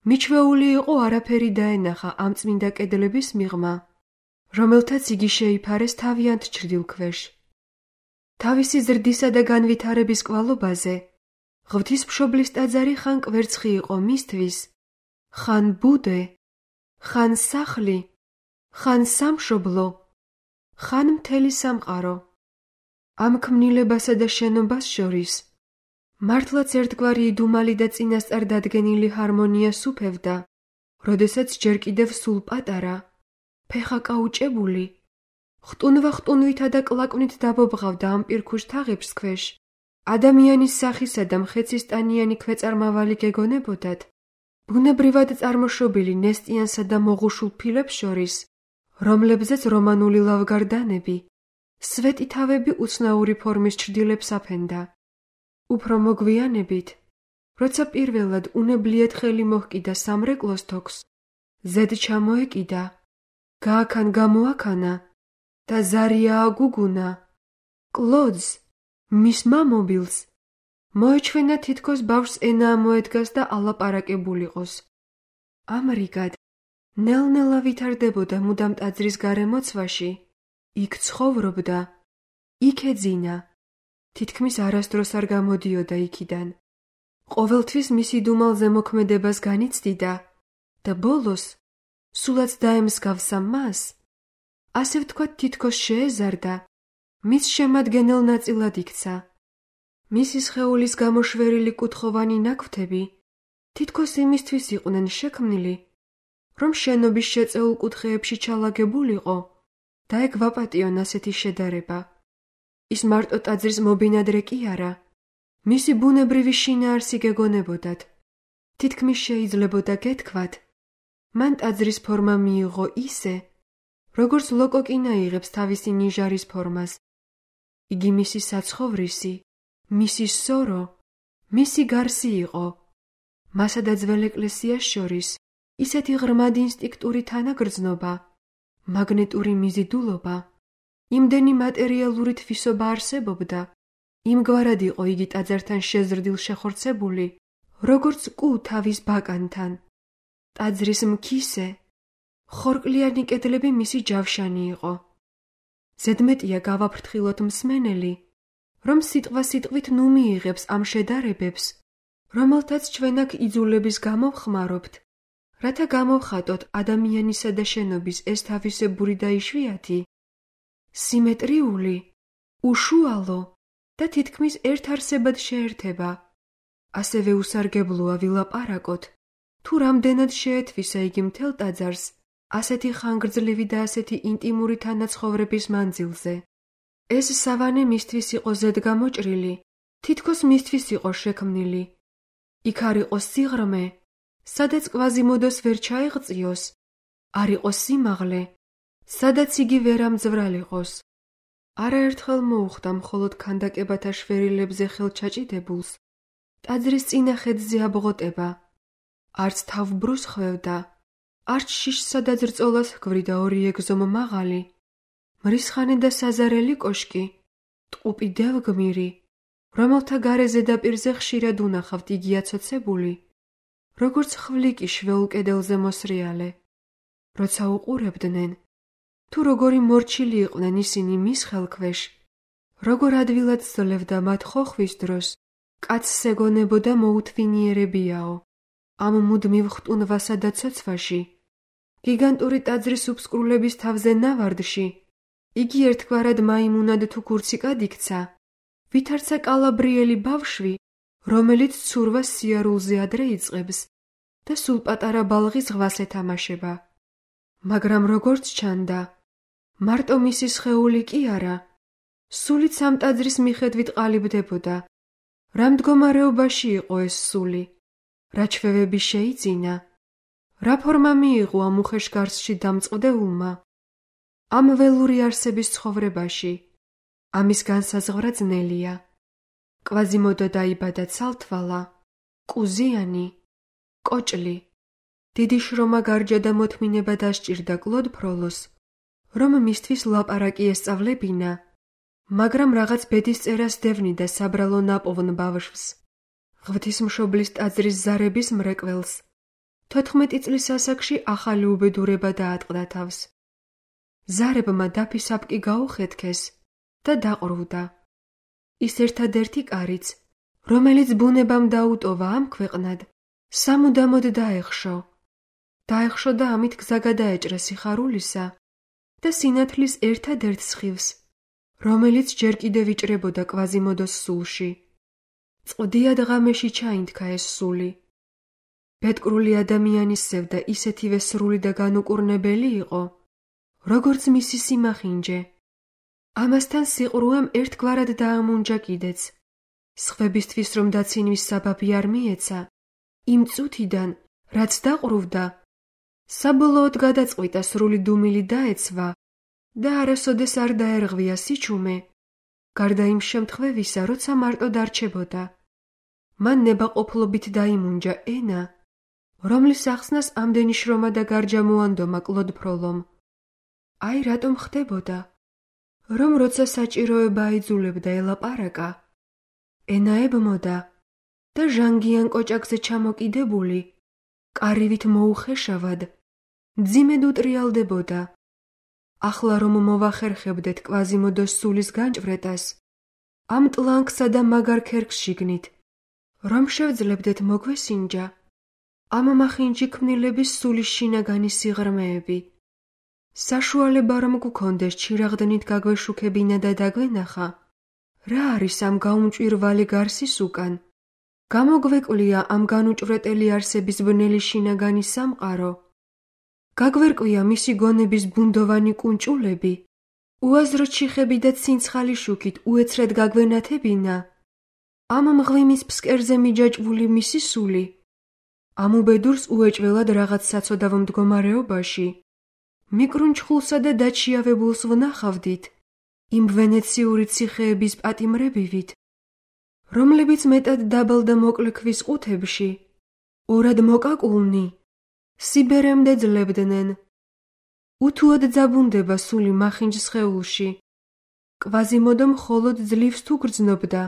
მიჩვეული იყო არაფერი დაენახა ამ წმინდა კედლების მიღმა, რომელთაც იგი შეიფარეს თავიანთ ჩრდილქვეშ. თავისი ზრდისა და განვითარების კვალობაზე, ღვთისმშობლის ტაძარი ხან კვერცხი იყო მისთვის, ხან ბუდე, ხან სახლი, ხან სამშობლო, ხან მთელი სამყარო. ამ ქმნილებასა და შენობას შორის, მართლაც ერთგვარი იდუმალი და წინასწარ დადგენილი ჰარმონია სუფევდა, როდესაც ჯერ კიდევ სულ პატარა, ფეხა კაუჭებული, ხტუნვა-ხტუნვითა და კლაკვნით დაბობღავდა ამ პირქუშ თაღებს ქვეშ, ადამიანის სახისა და მხეცისტანიანი ქვეწარმავალი გეგონებოდათ, ბუნებრივად წარმოშობილი ნესტიანსა და მოღუშულ ფილებს შორის, რომლებზეც რომანული ლავგარდანები, სვეტი თავები უცნაური ფორმის ჩრდილებს აფენდა. უფრო მოგვიანებით, როცა პირველად უნებლიეთ ხელი მოჰკიდა სამრეკლოს თოქს, ზედ ჩამოეკიდა, გააქან გამოაქანა და ზარია აგუგუნა, კლოდს, მის მამობილს, მოეჩვენა თითქოს ბავშვს ენა ამოედგას და ალაპარაკებულიყოს. ამრიგად, ნელ-ნელა ვითარდებოდა მუდამ ტაძრის გარემოცვაში, იქ ცხოვრობდა, იქ ეძინა, თითქმის არასდროს არ გამოდიოდა იქიდან. ყოველთვის მისი დუმალზე მოქმედებას განიცდიდა და ბოლოს, სულაც დაემსგავსა მას, ასე ვთქვათ თითქოს შეეზარდა, მის შემადგენელ ნაწილად იქცა. მისი სხეულის გამოშვერილი კუთხოვანი ნაკვთები თითქოს იმისთვის იყვნენ შექმნილი, რომ შენობის შეწეულ კუთხეებში ჩალაგებულიყო და ეგ ვაპატიონ ასეთი შედარება. ის მარტო ტაძრის მობინადრე კი არა, მისი ბუნებრივი შინაარსი გეგონებოდათ. თითქმის შეიძლებოდა გეთქვათ, მან ტაძრის ფორმა მიიღო ისე, როგორც ლოკოკინა იღებს თავისი ნიჟარის ფორმას. იგი მისი საცხოვრისი, მისი სორო, მისი გარსი იყო. მასა და ძველ ეკლესიას შორის ისეთი ღრმად ინსტინქტური თანაგრძნობა, მაგნეტური მიზიდულობა, იმდენი მატერიალური თვისობა არსებობდა, იმგვარად იყო იგი ტაძართან შეზრდილ შეხორცებული, როგორც კუ თავის ბაკანთან. ტაძრის მქისე, ხორკლიანი კედლები მისი ჯავშანი იყო. ზედმეტია გავაფრთხილოთ მსმენელი, რომ სიტყვა-სიტყვით ნუ მიიღებს ამ შედარებებს, რომელთაც ჩვენ აქ იძულების გამო ვხმარობთ, რათა გამოვხატოთ ადამიანისა და შენობის ეს თავისებური და იშვიათი, სიმეტრიული, უშუალო და თითქმის ერთარსებად შეერთება. ასევე უსარგებლოა ვილაპარაკოთ, თუ რამდენად შეეთვისა იგი მთელ ტაძარს ასეთი ხანგრძლივი და ასეთი ინტიმური თანაცხოვრების მანძილზე. ეს სავანე მისთვის იყო ზედგამოჭრილი, თითქოს მისთვის იყო შექმნილი. იქ არ იყო სიღრმე, სადაც კვაზიმოდოს ვერ ჩაეღწიოს, არ იყო სიმაღლე, სადაც იგი ვერ ამძვრალიყოს. არაერთხელ მოუხდა მხოლოდ ქანდაკებათა შვერილებზე ხელჩაჭიდებულს, ტაძრის წინა ხედზე აბღოტება, არც თავბრუს ხვევდა, არც შიშსა და ძრწოლას ჰგვრიდა ორი ეგზომ მაღალი, მრისხანე და საზარელი კოშკი, ტყუპი დევგმირი, რომელთა გარე ზედაპირზე ხშირად უნახავთ იგი აცოცებული, როგორც ხვლიკი შვეულ კედელზე მოსრიალე. როცა უყურებდნენ, თუ როგორი მორჩილი იყვნენ ისინი მის ხელქვეშ, როგორ ადვილად სძლევდა მათ ხოხვის დროს, კაცს ეგონებოდა მოუთვინიერებიაო. ამ მუდმივ ხტუნვასა და ცოცვაში, გიგანტური ტაძრის უბსკრულების თავზე ნავარდში, იგი ერთგვარად მაიმუნად თუ ქურციკად იქცა, ვითარცა კალაბრიელი ბავშვი, რომელიც ცურვას სიარულზე ადრე იწყებს და სულ პატარა ბალღის ზღვას ეთამაშება. მაგრამ როგორც ჩანდა, მარტო მისი სხეული კი არა, სულიც ამ ტაძრის მიხედვით ყალიბდებოდა. რა მდგომარეობაში იყო ეს სული? რა ჩვევები შეიძინა? რა ფორმა მიიღო ამ უხეშ გარსში დამწყდეულმა? ამ ველური არსების ცხოვრებაში, ამის განსაზღვრა ძნელია. კვაზიმოდო დაიბადა ცალთვალა, კუზიანი, კოჭლი. დიდი შრომა გარჯა და მოთმინება დასჭირდა კლოდ ფროლოს, რომ მისთვის ლაპარაკი ესწავლებინა, მაგრამ რაღაც ბედის წერას დევნიდა საბრალო ნაპოვნ ბავშვს, ღვთისმშობლის ტაძრის ზარების მრეკველს. 14 წლის ასაკში ახალი უბედურება დაატყდა თავს. ზარებმა დაფისაპკი გაუხეთქეს და დაყრუდა. ის ერთადერთი კარიც, რომელიც ბუნებამ დაუტოვა ამ ქვეყნად, სამუდამოდ დაეხშო. დაეხშო და ამით გზა გადაეჭრა სიხარულისა და სინათლის ერთადერთ სხივს, რომელიც ჯერ კიდევ იჭრებოდა კვაზიმოდოს სულში. წყდიად ღამეში ჩაინთქა ეს სული. ბედკრული ადამიანის სევდა ისეთივე სრული და განუკურნებელი იყო, როგორც მისი სიმახინჯე. ამასთან სიყრუემ ერთგვარად დაამუნჯა კიდეც. სხვებისთვის რომ დაცინვის საბაბი არ მიეცა, იმ წუთიდან, რაც დაყრუვდა, საბოლოოდ გადაწყვიტა სრული დუმილი დაეცვა და არასოდეს არ დაერღვია სიჩუმე, გარდა იმ შემთხვევისა, როცა მარტო დარჩებოდა. მან ნებაყოფლობით დაიმუნჯა ენა, რომლის ახსნას ამდენი შრომა და გარჯამოანდომა კლოდ ფროლომ. აი რატომ ხდებოდა, რომ როცა საჭიროება აიძულებდა ელაპარაკა, ენაებმოდა და ჟანგიან კოჭაკზე ჩამოკიდებული, კარივით მოუხეშავად, მძიმედ უტრიალდებოდა. ახლა რომ მოვახერხებდეთ კვაზიმოდოს სულის განჭვრეტას, ამ ტლანკსა და მაგარ ქერქს შიგნით, რომ შევძლებდეთ მოგვესინჯა, ამ მახინჯი ქმნილების სულის შინაგანი სიღრმეები. საშუალება რომ გქონდეს ჩირაღდნით გაგვეშუქებინა და დაგვენახა, რა არის ამ გაუმჭვირვალი გარსის უკან? გამოგვეკვлია ამ განუჭვრეტელი არსების ბნელი შინაგანი სამყარო? გაგვერკვია მისი გონების ბუნდოვანი კუნჭულები? უაზრო ჩიხები და ცინცხალი შუქით უეცრად გაგვენათებინა? ამ მღვიმის ფსკერზე მიჯაჭვული მისი სული? ამ უბედურს უეჭველად რაღაც საცოდავ მდგომარეობაში? მიკრუნჩხულსა და დაჩიავებულს ვნახავდით, იმ ვენეციური ციხეების პატიმრებივით, რომლებიც მეტად დაბალ და მოკლე ქვის ყუთებში, ორად მოკაკულნი, სიბერემდე ძლებდნენ. უთუოდ ძაბუნდება სული მახინჯ სხეულში. კვაზიმოდო მხოლოდ ძლივს თუ გრძნობდა,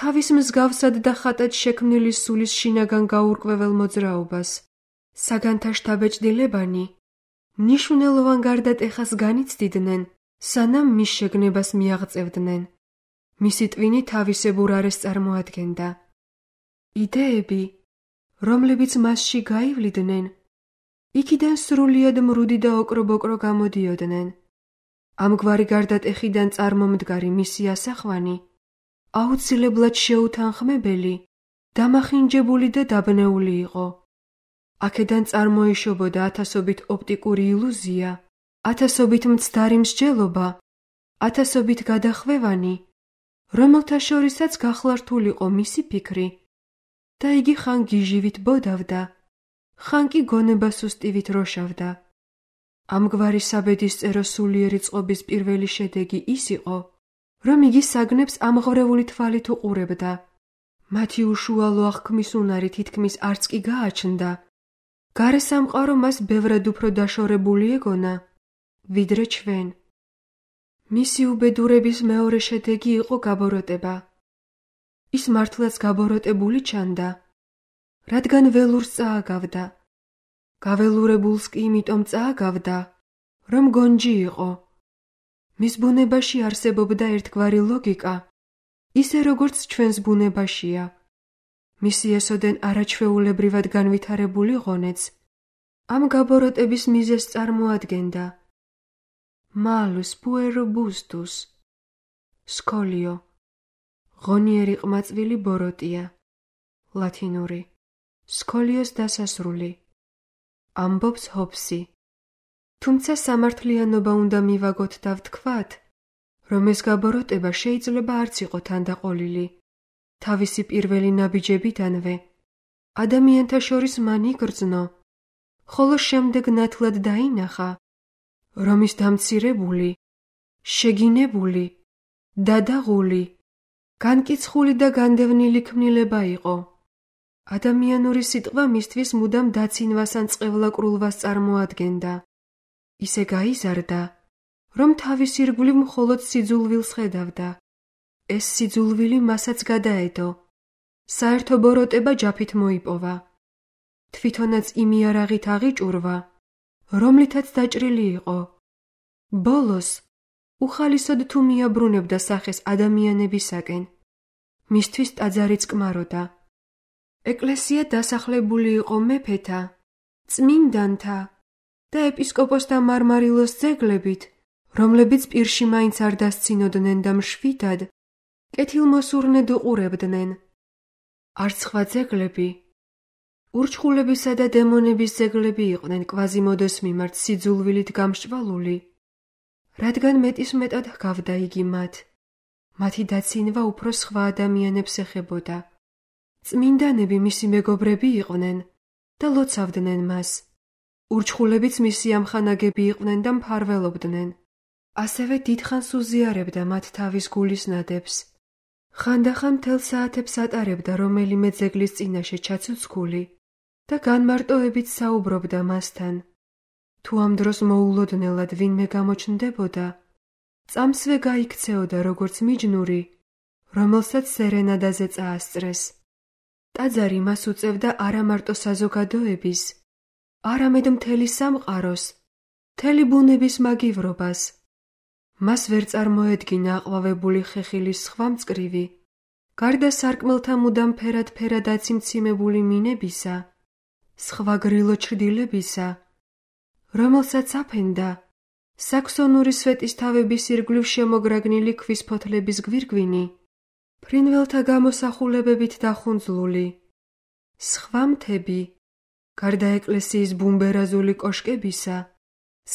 თავის მსგავსად და ხატად შექმნილი სულის შინაგან გაურკვეվել მოძრაობას. საგანთა შთაბეჭდილებანი მნიშვნელოვან გარდატეხას განიცდიდნენ, სანამ მის შეგნებას მიაღწევდნენ. მისი ტვინი თავისებურ არეს წარმოადგენდა. იდეები, რომლებიც მასში გაივლიდნენ, იქიდან სრულიად მრუდი და ოკრობოკრო გამოდიოდნენ. ამგვარი გარდატეხიდან წარმომდგარი მისი ასახვანი აუცილებლად შეუთანხმებელი, დამახინჯებული და დაბნეული იყო. აქედან წარმოიშობოდა ათასობით ოპტიკური ილუზია, ათასობით მცდარი მსჯელობა, ათასობით გადახვევანი, რომელთა შორისაც გახლართულიყო მისი ფიქრი და იგი ხან გიჟივით ბოდავდა, ხან კი გონება სუსტივით როშავდა. ამგვარი საბედისწერო სულიერი წყობის პირველი შედეგი ის იყო, რომ იგი საგნებს ამღვრეული თვალით უყურებდა. მათი უშუალო აღქმის უნარი თითქმის არც კი გააჩნდა. გარე სამყარო მას ბევრად უფრო დაშორებული ეგონა, ვიდრე ჩვენ. მისი უბედურების მეორე შედეგი იყო გაბოროტება. ის მართლაც გაბოროტებული ჩანდა, რადგან ველურს წააგავდა. გაველურებულს კი იმიტომ წააგავდა, რომ გონჯი იყო. მის ბუნებაში არსებობდა ერთგვარი ლოგიკა, ისე როგორც ჩვენს ბუნებაშია. მისი ესოდენ არაჩვეულებრივად განვითარებული ღონეც ამ გაბოროტების მიზეზს წარმოადგენდა. malus puero bustus, სკოლიო, ღონიერი ყმაწვილი ბოროტია, ლათინური, სკოლიოს დასასრული, ამბობს ჰობსი. თუმცა სამართლიანობა უნდა მივაგოთ და ვთქვათ, რომ ეს გაბოროტება შეიძლება არც იყო თანდაყოლილი. თავისი პირველი ნაბიჯებიდანვე ადამიანთა შორის მან იგრძნო, ხოლო შემდეგ ნათლად დაინახა, რომ ის დამცირებული, შეგინებული, დადაღული, განკიცხული და განდევნილი ქმნილება იყო. ადამიანური სიტყვა მისთვის მუდამ დაცინვას ან წყევლაკრულვას წარმოადგენდა. ისე გაიზარდა, რომ თავის ირგვლივ მხოლოდ სიძულვილს ხედავდა. ეს სიძულვილი მასაც გადაედო. საერთო ბოროტება ჯაფით მოიპოვა. თვითონაც იმ იარაღით აღიჭურვა, რომლითაც დაჭრილი იყო. ბოლოს უხალისოდ თუ მიაბრუნებდა სახეს ადამიანებისაკენ, მისთვის ტაძარი წკმაროდა. ეკლესია დასახლებული იყო მეფეთა, წმინდანთა და ეპისკოპოსთა მარმარილოს ძეგლებით, რომლებიც პირში მაინც არ დასცინოდნენ და მშვიდად, კეთილმოსურნედ უყურებდნენ. არც სხვა ძეგლები, ურჩხულებისა და დემონების ძეგლები იყვნენ კვაზიმოდოს მიმართ სიძულვილით გამსჭვალული, რადგან მეტისმეტად ჰგავდა იგი მათ. მათი დაცინვა უფრო სხვა ადამიანებს ეხებოდა. წმინდანები მისი მეგობრები იყვნენ და ლოცავდნენ მას. ურჩხულებიც მისი ამხანაგები იყვნენ და მფარველობდნენ. ასევე დიდხანს უზიარებდა მათ თავის გულის ნადებს. ხანდახან მთელ საათებს ატარებდა რომელიმე ძეგლის წინაშე ჩაცოცხული და განმარტოებით საუბრობდა მასთან. თუ ამ დროს მოულოდნელად ვინმე გამოჩნდებოდა, წამსვე გაიქცეოდა როგორც მიჯნური, რომელსაც სერენადაზე წაასწრეს. ტაძარი მას უწევდა არა მარტო საზოგადოების, არამედ მთელი სამყაროს, მთელი ბუნების მაგივრობას. მას ვერ წარმოედგინა აყვავებული ხეხილის სხვა მწკრივი, გარდა სარკმელთა მუდამ ფერად აციმციმებული მინებისა, სხვა გრილო ჩრდილებისა, რომელსაც აფენდა საქსონური სვეტისთავების ირგვლივ შემოგრაგნილი ქვის ფოთლების გვირგვინი, ფრინველთა გამოსახულებებით დახუნძლული. სხვა მთები, გარდა ეკლესიის ბუმბერაზული კოშკებისა,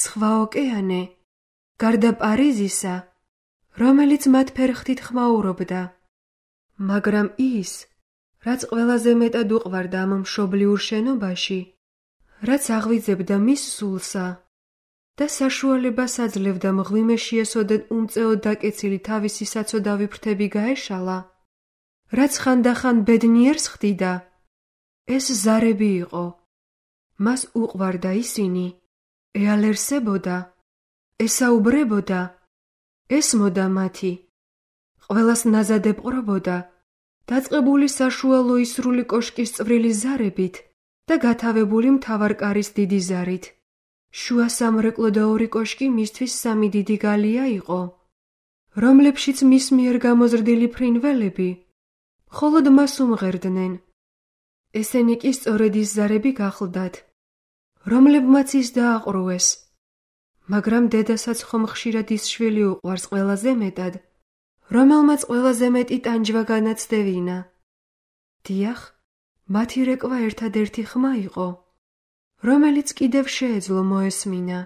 სხვა ოკეანე, გარდა პარიზისა, რომელიც მათ ფერხთით ხმაურობდა. მაგრამ ის, რაც ყველაზე მეტად უყვარდა ამ მშობლიურ შენობაში, რაც აღვიძებდა მის სულსა და საშუალებას აძლევდა მღვიმეში ესოდენ უმწეოდ დაკეცილი თავისი საცოდავი ფრთები გაეშალა, რაც ხანდახან ბედნიერს ხდიდა, ეს ზარები იყო. მას უყვარდა ისინი, ეალერსებოდა, ესაუბრებოდა, ესმოდა მათი, ყველას ნაზად ეპყრობოდა, დაწყებული საშუალო ისრული კოშკის წვრილი ზარებით და გათავებული მთავარკარის დიდი ზარით. შუა სამრეკლო და ორი კოშკი მისთვის სამი დიდი გალია იყო, რომლებშიც მის მიერ გამოზრდილი ფრინველები მხოლოდ მას უმღერდნენ. ესენი კი სწორედ ის ზარები გახლდათ, რომლებმაც ის დააყრუეს. მაგრამ დედასაც ხომ ხშირად ის შვილი უყვარს ყველაზე მეტად, რომელმაც ყველაზე მეტი ტანჯვა განაცდევინა. დიახ, მათი რეკვა ერთადერთი ხმა იყო, რომელიც კიდევ შეეძლო მოესმინა.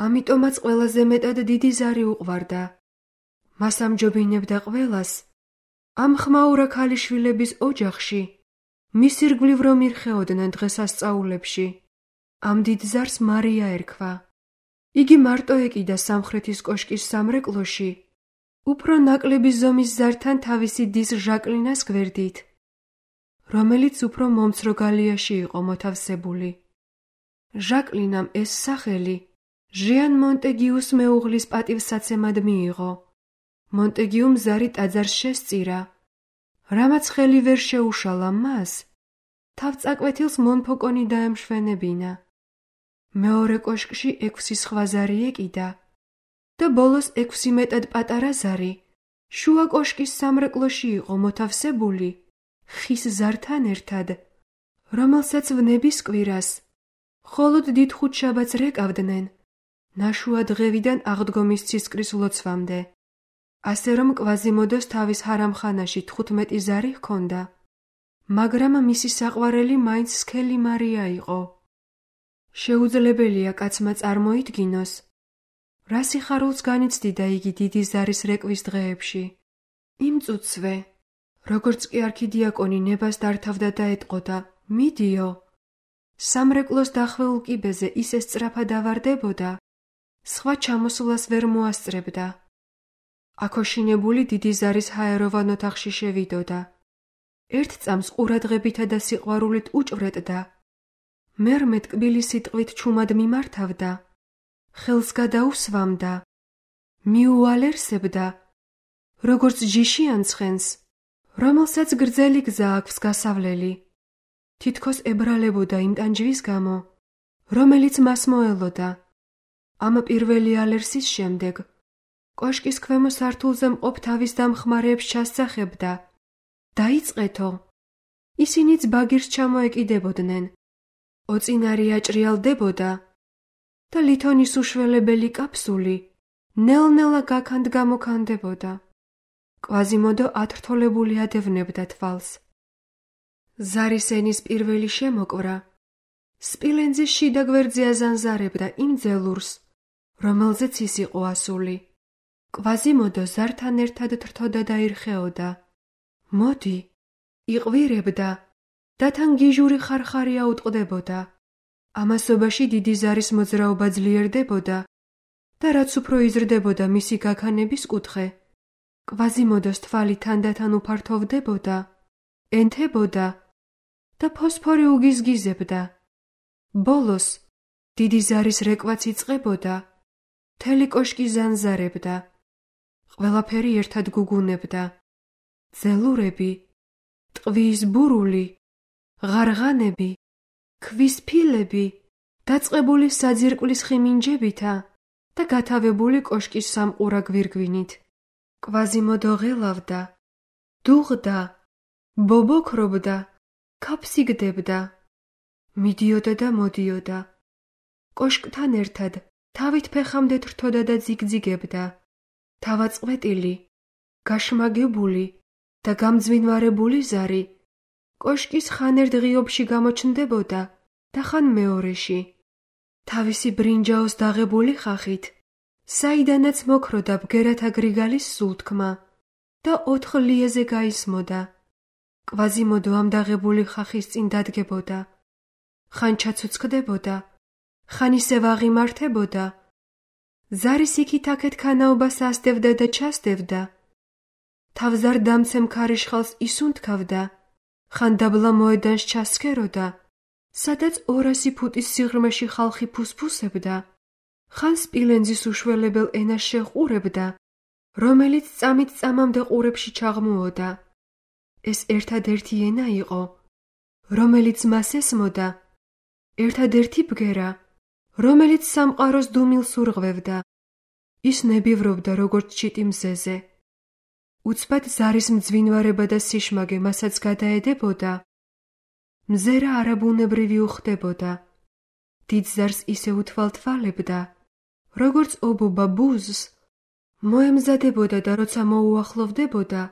ამიტომაც ყველაზე მეტად დიდი ზარი უყვარდა. მას ამჯობინებდა ყველას, ამ ხმაურა ქალიშვილების ოჯახში, მის ირგვლივ რომ ირხეოდნენ დღესასწაულებში. ამ დიდ ზარს მარია ერქვა. იგი მარტო ეკიდა სამხრეთის კოშკის სამრეკლოში, უფრო ნაკლები ზომის ზართან თავისი დის ჟაკლინას გვერდით, რომელიც უფრო მომცრო გალიაში იყო მოთავსებული. ჟაკლინამ ეს სახელი ჟიან მონტეგიუს მეუღლის პატივსაცემად მიიღო. მონტეგიუმ ზარი ტაძარს შესწირა, რამაც ხელი ვერ შეუშალა მას, თავწაკვეთილს მონფოკონი დაემშვენებინა. მეორე კოშკში 6 სხვა ზარი ეკიდა და ბოლოს 6 მეტად პატარა ზარი შუა კოშკის სამრეკლოში იყო მოთავსებული ხის ზართან ერთად, რომელსაც ვნების კვირას მხოლოდ დიდ ხუთშაბათს რეკავდნენ ნაშუა დღევიდან აღდგომის ცისკრის ლოცვამდე. ასე რომ კვაზიმოდოს თავის ჰარამხანაში 15 ზარი ჰქონდა, მაგრამ მისი საყვარელი მაინც სქელი მარია იყო. შეუძლებელია კაცმა წარმოიდგინოს, რა სიხარულს განიცდიდა იგი დიდი ზარის რეკვის დღეებში. იმ წუთსვე, როგორც კი არქიდიაკონი ნებას დართავდა და ეტყოდა, მიდიო, სამრეკლოს დახვეულ კიბეზე ისე სწრაფად ავარდებოდა, სხვა ჩამოსვლას ვერ მოასწრებდა. აქოშინებული დიდი ზარის ჰაეროვან ოთახში შევიდოდა. ერთ წამს ყურადღებითა და სიყვარულით უჭვრეტდა, მერმე ტკბილი სიტყვით ჩუმად მიმართავდა, ხელს გადაუსვამდა მიუალერსებდა, როგორც ჯიშიან ცხენს, რომელსაც გრძელი გზა აქვს გასავლელი. თითქოს ებრალებოდა იმ ტანჯვის გამო, რომელიც მას მოელოდა. ამ პირველი ალერსის შემდეგ კოშკის ქვემო სართულზე მყოფ თავის დამხმარეებს ჩასძახებდა. დაიწყეთო. ისინიც ბაგირს ჩამოეკიდებოდნენ. ოწინარი აჭრიალდებოდა და ლითონის უშველებელი კაფსული ნელ-ნელა გაქანდ-გამოქანდებოდა. კვაზიმოდო ათრთოლებული ადევნებდა თვალს. ზარის ენის პირველი შემოკვრა სპილენძის შიდა გვერდზე აზანზარებდა იმ ძელურს, რომელზეც ის იყო ასული. კვაზიმოდო ზართან ერთად თრთოდა და ირხეოდა. მოდი, იყვირებდა და თან გიჟური ხარხარი აუტყდებოდა. ამასობაში დიდი ზარის მოძრაობა ძლიერდებოდა და რაც უფრო იზრდებოდა მისი გაქანების კუთხე, კვაზიმოდოს თვალი თანდათან უფართოვდებოდა, ენთებოდა და ფოსფორი უგიზგიზებდა. ბოლოს დიდი ზარის რეკვაც იწყებოდა, მთელი კოშკი ზანზარებდა. ყველაფერი ერთად გუგუნებდა. ძელურები, ტყვის ბურული, ღარღანები, ქვის ფილები, დაწყებული საძირკვლის ხიმინჯებითა და გათავებული კოშკის სამყურა გვირგვინით. კვაზიმოდო ღელავდა, დუღდა, ბობოქრობდა, ქაფსიგდებდა. მიდიოდა და მოდიოდა. კოშკთან ერთად თავით ფეხამდე თრთოდა და ძიგძიგებდა. თავაწყვეტილი, გაშმაგებული და გამძვინვარებული ზარი კოშკის ხან ერთ ღიობში გამოჩნდებოდა და ხან მეორეში. თავისი ბრინჯაოს დაღებული ხახით, საიდანაც მოქროდა ბგერათა გრიგალის სულთქმა და 4 ლიეზე გაისმოდა. კვაზიმოდო ამ დაღებული ხახის წინ დადგებოდა. ხან ჩაცოცხდებოდა, ხან ისევ აღიმართებოდა. ზარის იქით-აქეთ ქანაობას ასდევდა და ჩასდევდა. თავზარ დამცემ ქარიშხალს ისუნთქავდა, ხან დაბლა მოედანს ჩასქეროდა, სადაც 200 ფუტის სიღრმეში ხალხი ფუსფუსებდა, ხან სპილენძის უშველებელ ენას შეყურებდა, რომელიც წამით წამამდე ყურებში ჩაღმუოდა. ეს ერთადერთი ენა იყო, რომელიც მას ესმოდა, ერთადერთი ბგერა, რომელიც სამყაროს დუმილს ურღვევდა. ის ნებივრობდა როგორც ჩიტი მზეზე. უცბად ზარის მძვინვარება და სიშმაგე მასაც გადაედებოდა. მზერა არაბუნებრივი უხდებოდა. დიდ ზარს ისე უთვალთვალებდა, როგორც ობობა ბუზს, მოემზადებოდა და როცა მოუახლოვდებოდა,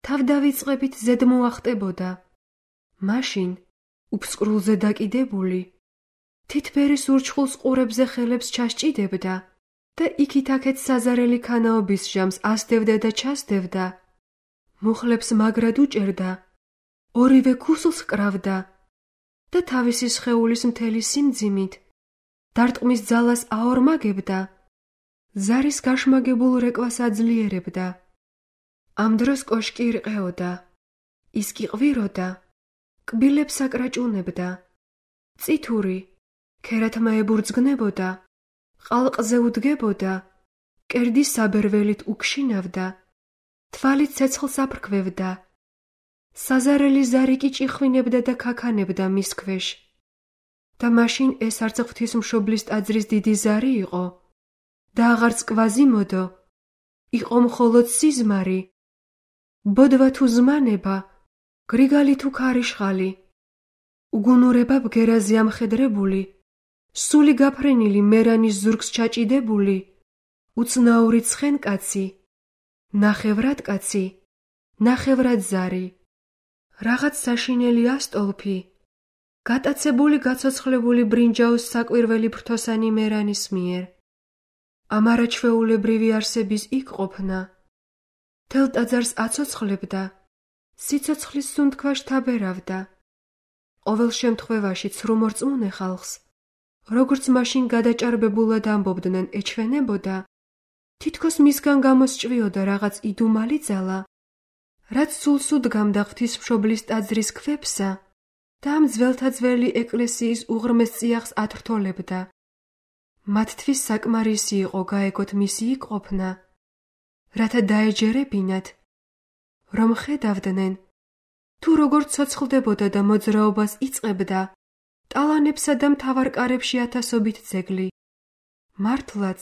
თავდავიწყებით ზედ მოახტებოდა. მაშინ, უფსკრულზე დაკიდებული, თითბერის ურჩხულს ყურებზე ხელებს ჩასჭიდებდა და იქით-აქეთ საზარელი ქანაობის ჟამს ასდევდა და ჩასდევდა. მუხლებს მაგრად უჭერდა, ორივე ქუსლს კრავდა და თავისი სხეულის მთელი სიმძიმით დარტყმის ძალას აორმაგებდა. ზარის გაშმაგებულ რეკვას აძლიერებდა. ამ დროს კოშკი ირყეოდა, ის კი ყვიროდა, კბილებს აკრაჭუნებდა. წითური, ქერათმა ებურძგნებოდა, ყალყზე უდგებოდა, კერდის საბერველით უქშინავდა, თვალით ცეცხლს აფრქვევდა. საზარელი ზარი კი ჭიხვინებდა და ქაქანებდა მის ქვეშ. და მაშინ ეს არც ღვთისმშობლის ტაძრის დიდი ზარი იყო და აღარც კვაზიმოდო, იყო მხოლოდ სიზმარი, ბოდვა თუ ზმანება, გრიგალი თუ ქარიშხალი, უგუნურება ბგერაზე ამხედრებული, სული გაფრენილი მერანის ზურგს ჩაჭიდებული, უცნაური ცხენკაცი, ნახევრად კაცი, ნახევრად ზარი, რაღაც საშინელი ასტოლფი, გატაცებული გაცოცხლებული ბრინჯაოს საკვირველი ფრთოსანი მერანის მიერ. ამ არაჩვეულებრივი არსების იქ ყოფნა მთელ ტაძარს აცოცხლებდა, სიცოცხლის სუნთქვაში თაბერავდა. ყოველ შემთხვევაში ცრუ მორწმუნე ხალხს, როგორც მაშინ გადაჭარბებულად ამბობდნენ, ეჩვენებოდა, თითქოს მისგან გამოსჭვიოდა რაღაც იდუმალი ძალა, რაც სულს უდგამდა ღვთისმშობლის ტაძრის ქვებსა და ამ ძველთა ძველი ეკლესიის უღრმეს წიაღს ათრთოლებდა. მათთვის საკმარისი იყო გაეგოთ მისი იქ ყოფნა რათა დაეჯერებინათ, რომ ხედავდნენ, თუ როგორ ცოცხლდებოდა და მოძრაობას იწყებდა ტალანებსა და მთავარკარებში ათასობით ძეგლი. მართლაც,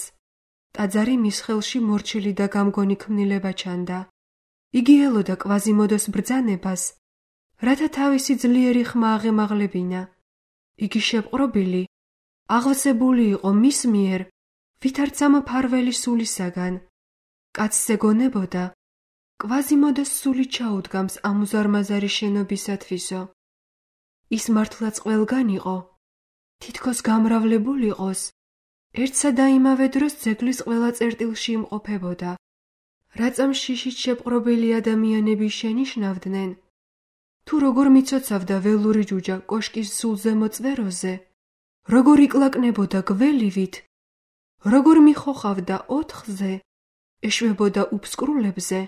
ტაძარი მის ხელში მორჩილი და გამგონი ქმნილება ჩანდა. იგი ელოდა კვაზიმოდოს ბრძანებას, რათა თავისი ძლიერი ხმა აღემაღლებინა. იგი შეპყრობილი, აღვსებული იყო მის მიერ, ვითარცა მფარველი სულისაგან. კაცზე გონებოდა, კვაზიმოდოს სული ჩაუდგამს ამ უზარმაზარი შენობისათვისო. ის მართლაც ყველგან იყო, თითქოს გამრავლებულიყოს, ერთსა და იმავე დროს ძეგლის ყველა წერტილში იმყოფებოდა. რაწამ შიშით შეპყრობილი ადამიანები შენიშნავდნენ, თუ როგორ მიცოცავდა ველური ჯუჯა კოშკის სულ ზემო წვეროზე, როგორ იკლაკნებოდა გველივით, როგორ მიხოხავდა ოთხზე, ეშვებოდა უფსკრულებზე,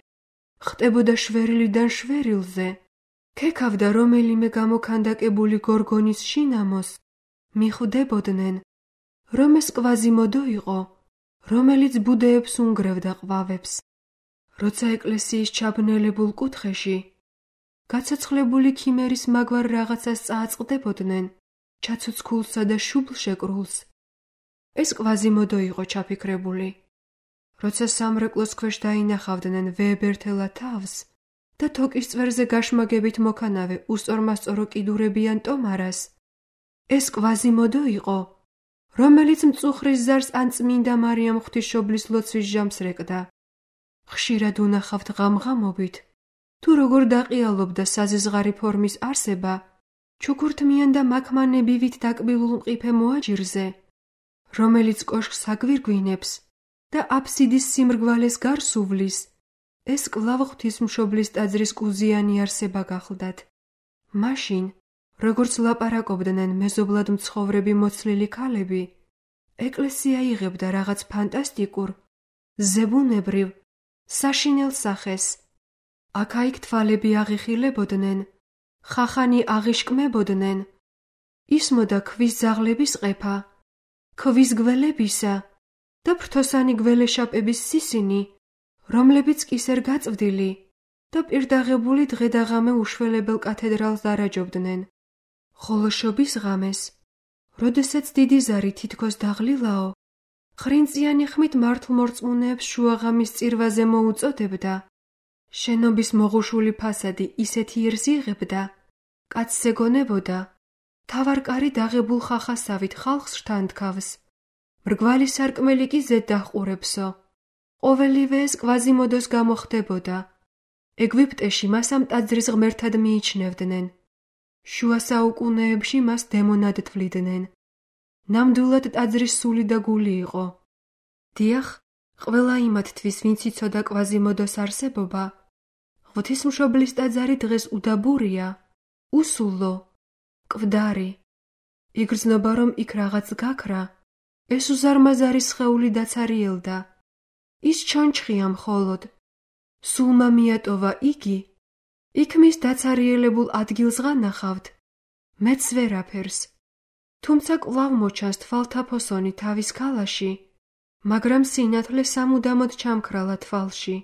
ხტებოდა შვერილიდან შვერილზე, ქექავდა რომელიმე გამოქანდაკებული გორგონის შინამოს, მიხვდებოდნენ, რომ ეს კვაზიმოდო იყო, რომელიც ბუდეებს უნგრევდა ყვავებს. როცა ეკლესიის ჩაბნელებულ კუთხეში გაცოცხლებული ქიმერის მაგვარ რაღაცას წააწყდებოდნენ, ჩაცოცხულსა და შუბლ შეკრულს, ეს კვაზიმოდო იყო ჩაფიქრებული. როცა სამრეკლოს ქვეშ დაინახავდნენ ვეებერთელა თავს და თოკის წვერზე გაშმაგებით მოქანავე უსწორმასწორო კიდურებიან ტომარას, ეს კვაზიმოდო იყო, რომელიც მწუხრის ზარს ან წმინდა მარიამ ღვთისმშობლის ლოცვის ჟამს რეკდა. ხშირად უნახავთ ღამღამობით, თუ როგორ დაყიალობდა საზიზღარი ფორმის არსება, ჩუქურთმიან და მაქმანებივით დაკბილულ მყიფე მოაჯირზე, რომელიც კოშკს აგვირგვინებს და აფსიდის სიმრგვალეს გარს უვლის, ეს კვლავ ღვთისმშობლის ტაძრის კუზიანი არსება გახლდათ. მაშინ, როგორც ლაპარაკობდნენ მეზობლად მცხოვრები მოცლილი ქალები, ეკლესია იღებდა რაღაც ფანტასტიკურ, ზებუნებრივ, საშინელ სახეს. აქა-იქ თვალები აღიხილებოდნენ, ხახანი აღიშკმებოდნენ, ისმოდა ქვის ძაღლების ყეფა, ქვის გველებისა და ფრთოსანი გველეშაპების სისინი, რომლებიც კისერ გაწვდილი და პირდაღებული დღედაღამე უშველებელ კათედრალს დარაჯობდნენ. ხოლო შობის ღამეს, როდესაც დიდი ზარი თითქოს დაღლილაო, ხრინწიანი ხმით მართლმორწმუნეებს შუაღამის წირვაზე მოუწოდებდა. შენობის მოღუშული ფასადი ისეთ იერს იღებდა, კაცზე გონებოდა, მთავარკარი დაღებულ ხახასავით ხალხს შთანთქავს, მრგვალი სარკმელი კი ზედ დაჰყურებსო. ყოველივე ეს კვაზიმოდოს გამოხდებოდა. ეგვიპტეში მას ამ ტაძრის ღმერთად მიიჩნევდნენ. შუა საუკუნეებში მას დემონად თვლიდნენ. ნამდვილად ტაძრის სული და გული იყო. დიახ, ყველა იმათთვის, ვინც იცოდა კვაზიმოდოს არსებობა, ღვთისმშობლის ტაძარი დღეს უდაბურია, უსულო, კვდარი. იგრძნობა, რომ იქ რაღაც გაქრა, ეს უზარმაზარი სხეული დაცარიელდა. ის ჩონჩხია მხოლოდ. სულმა მიატოვა იგი, იქ მის დაცარიელებულ ადგილს ღანახავთ, მეც ვერაფერს. თუმცა კვლავ მოჩანს თვალთაფოსონი თავის ქალაში, მაგრამ სინათლე სამუდამოდ ჩამქრალა თვალში.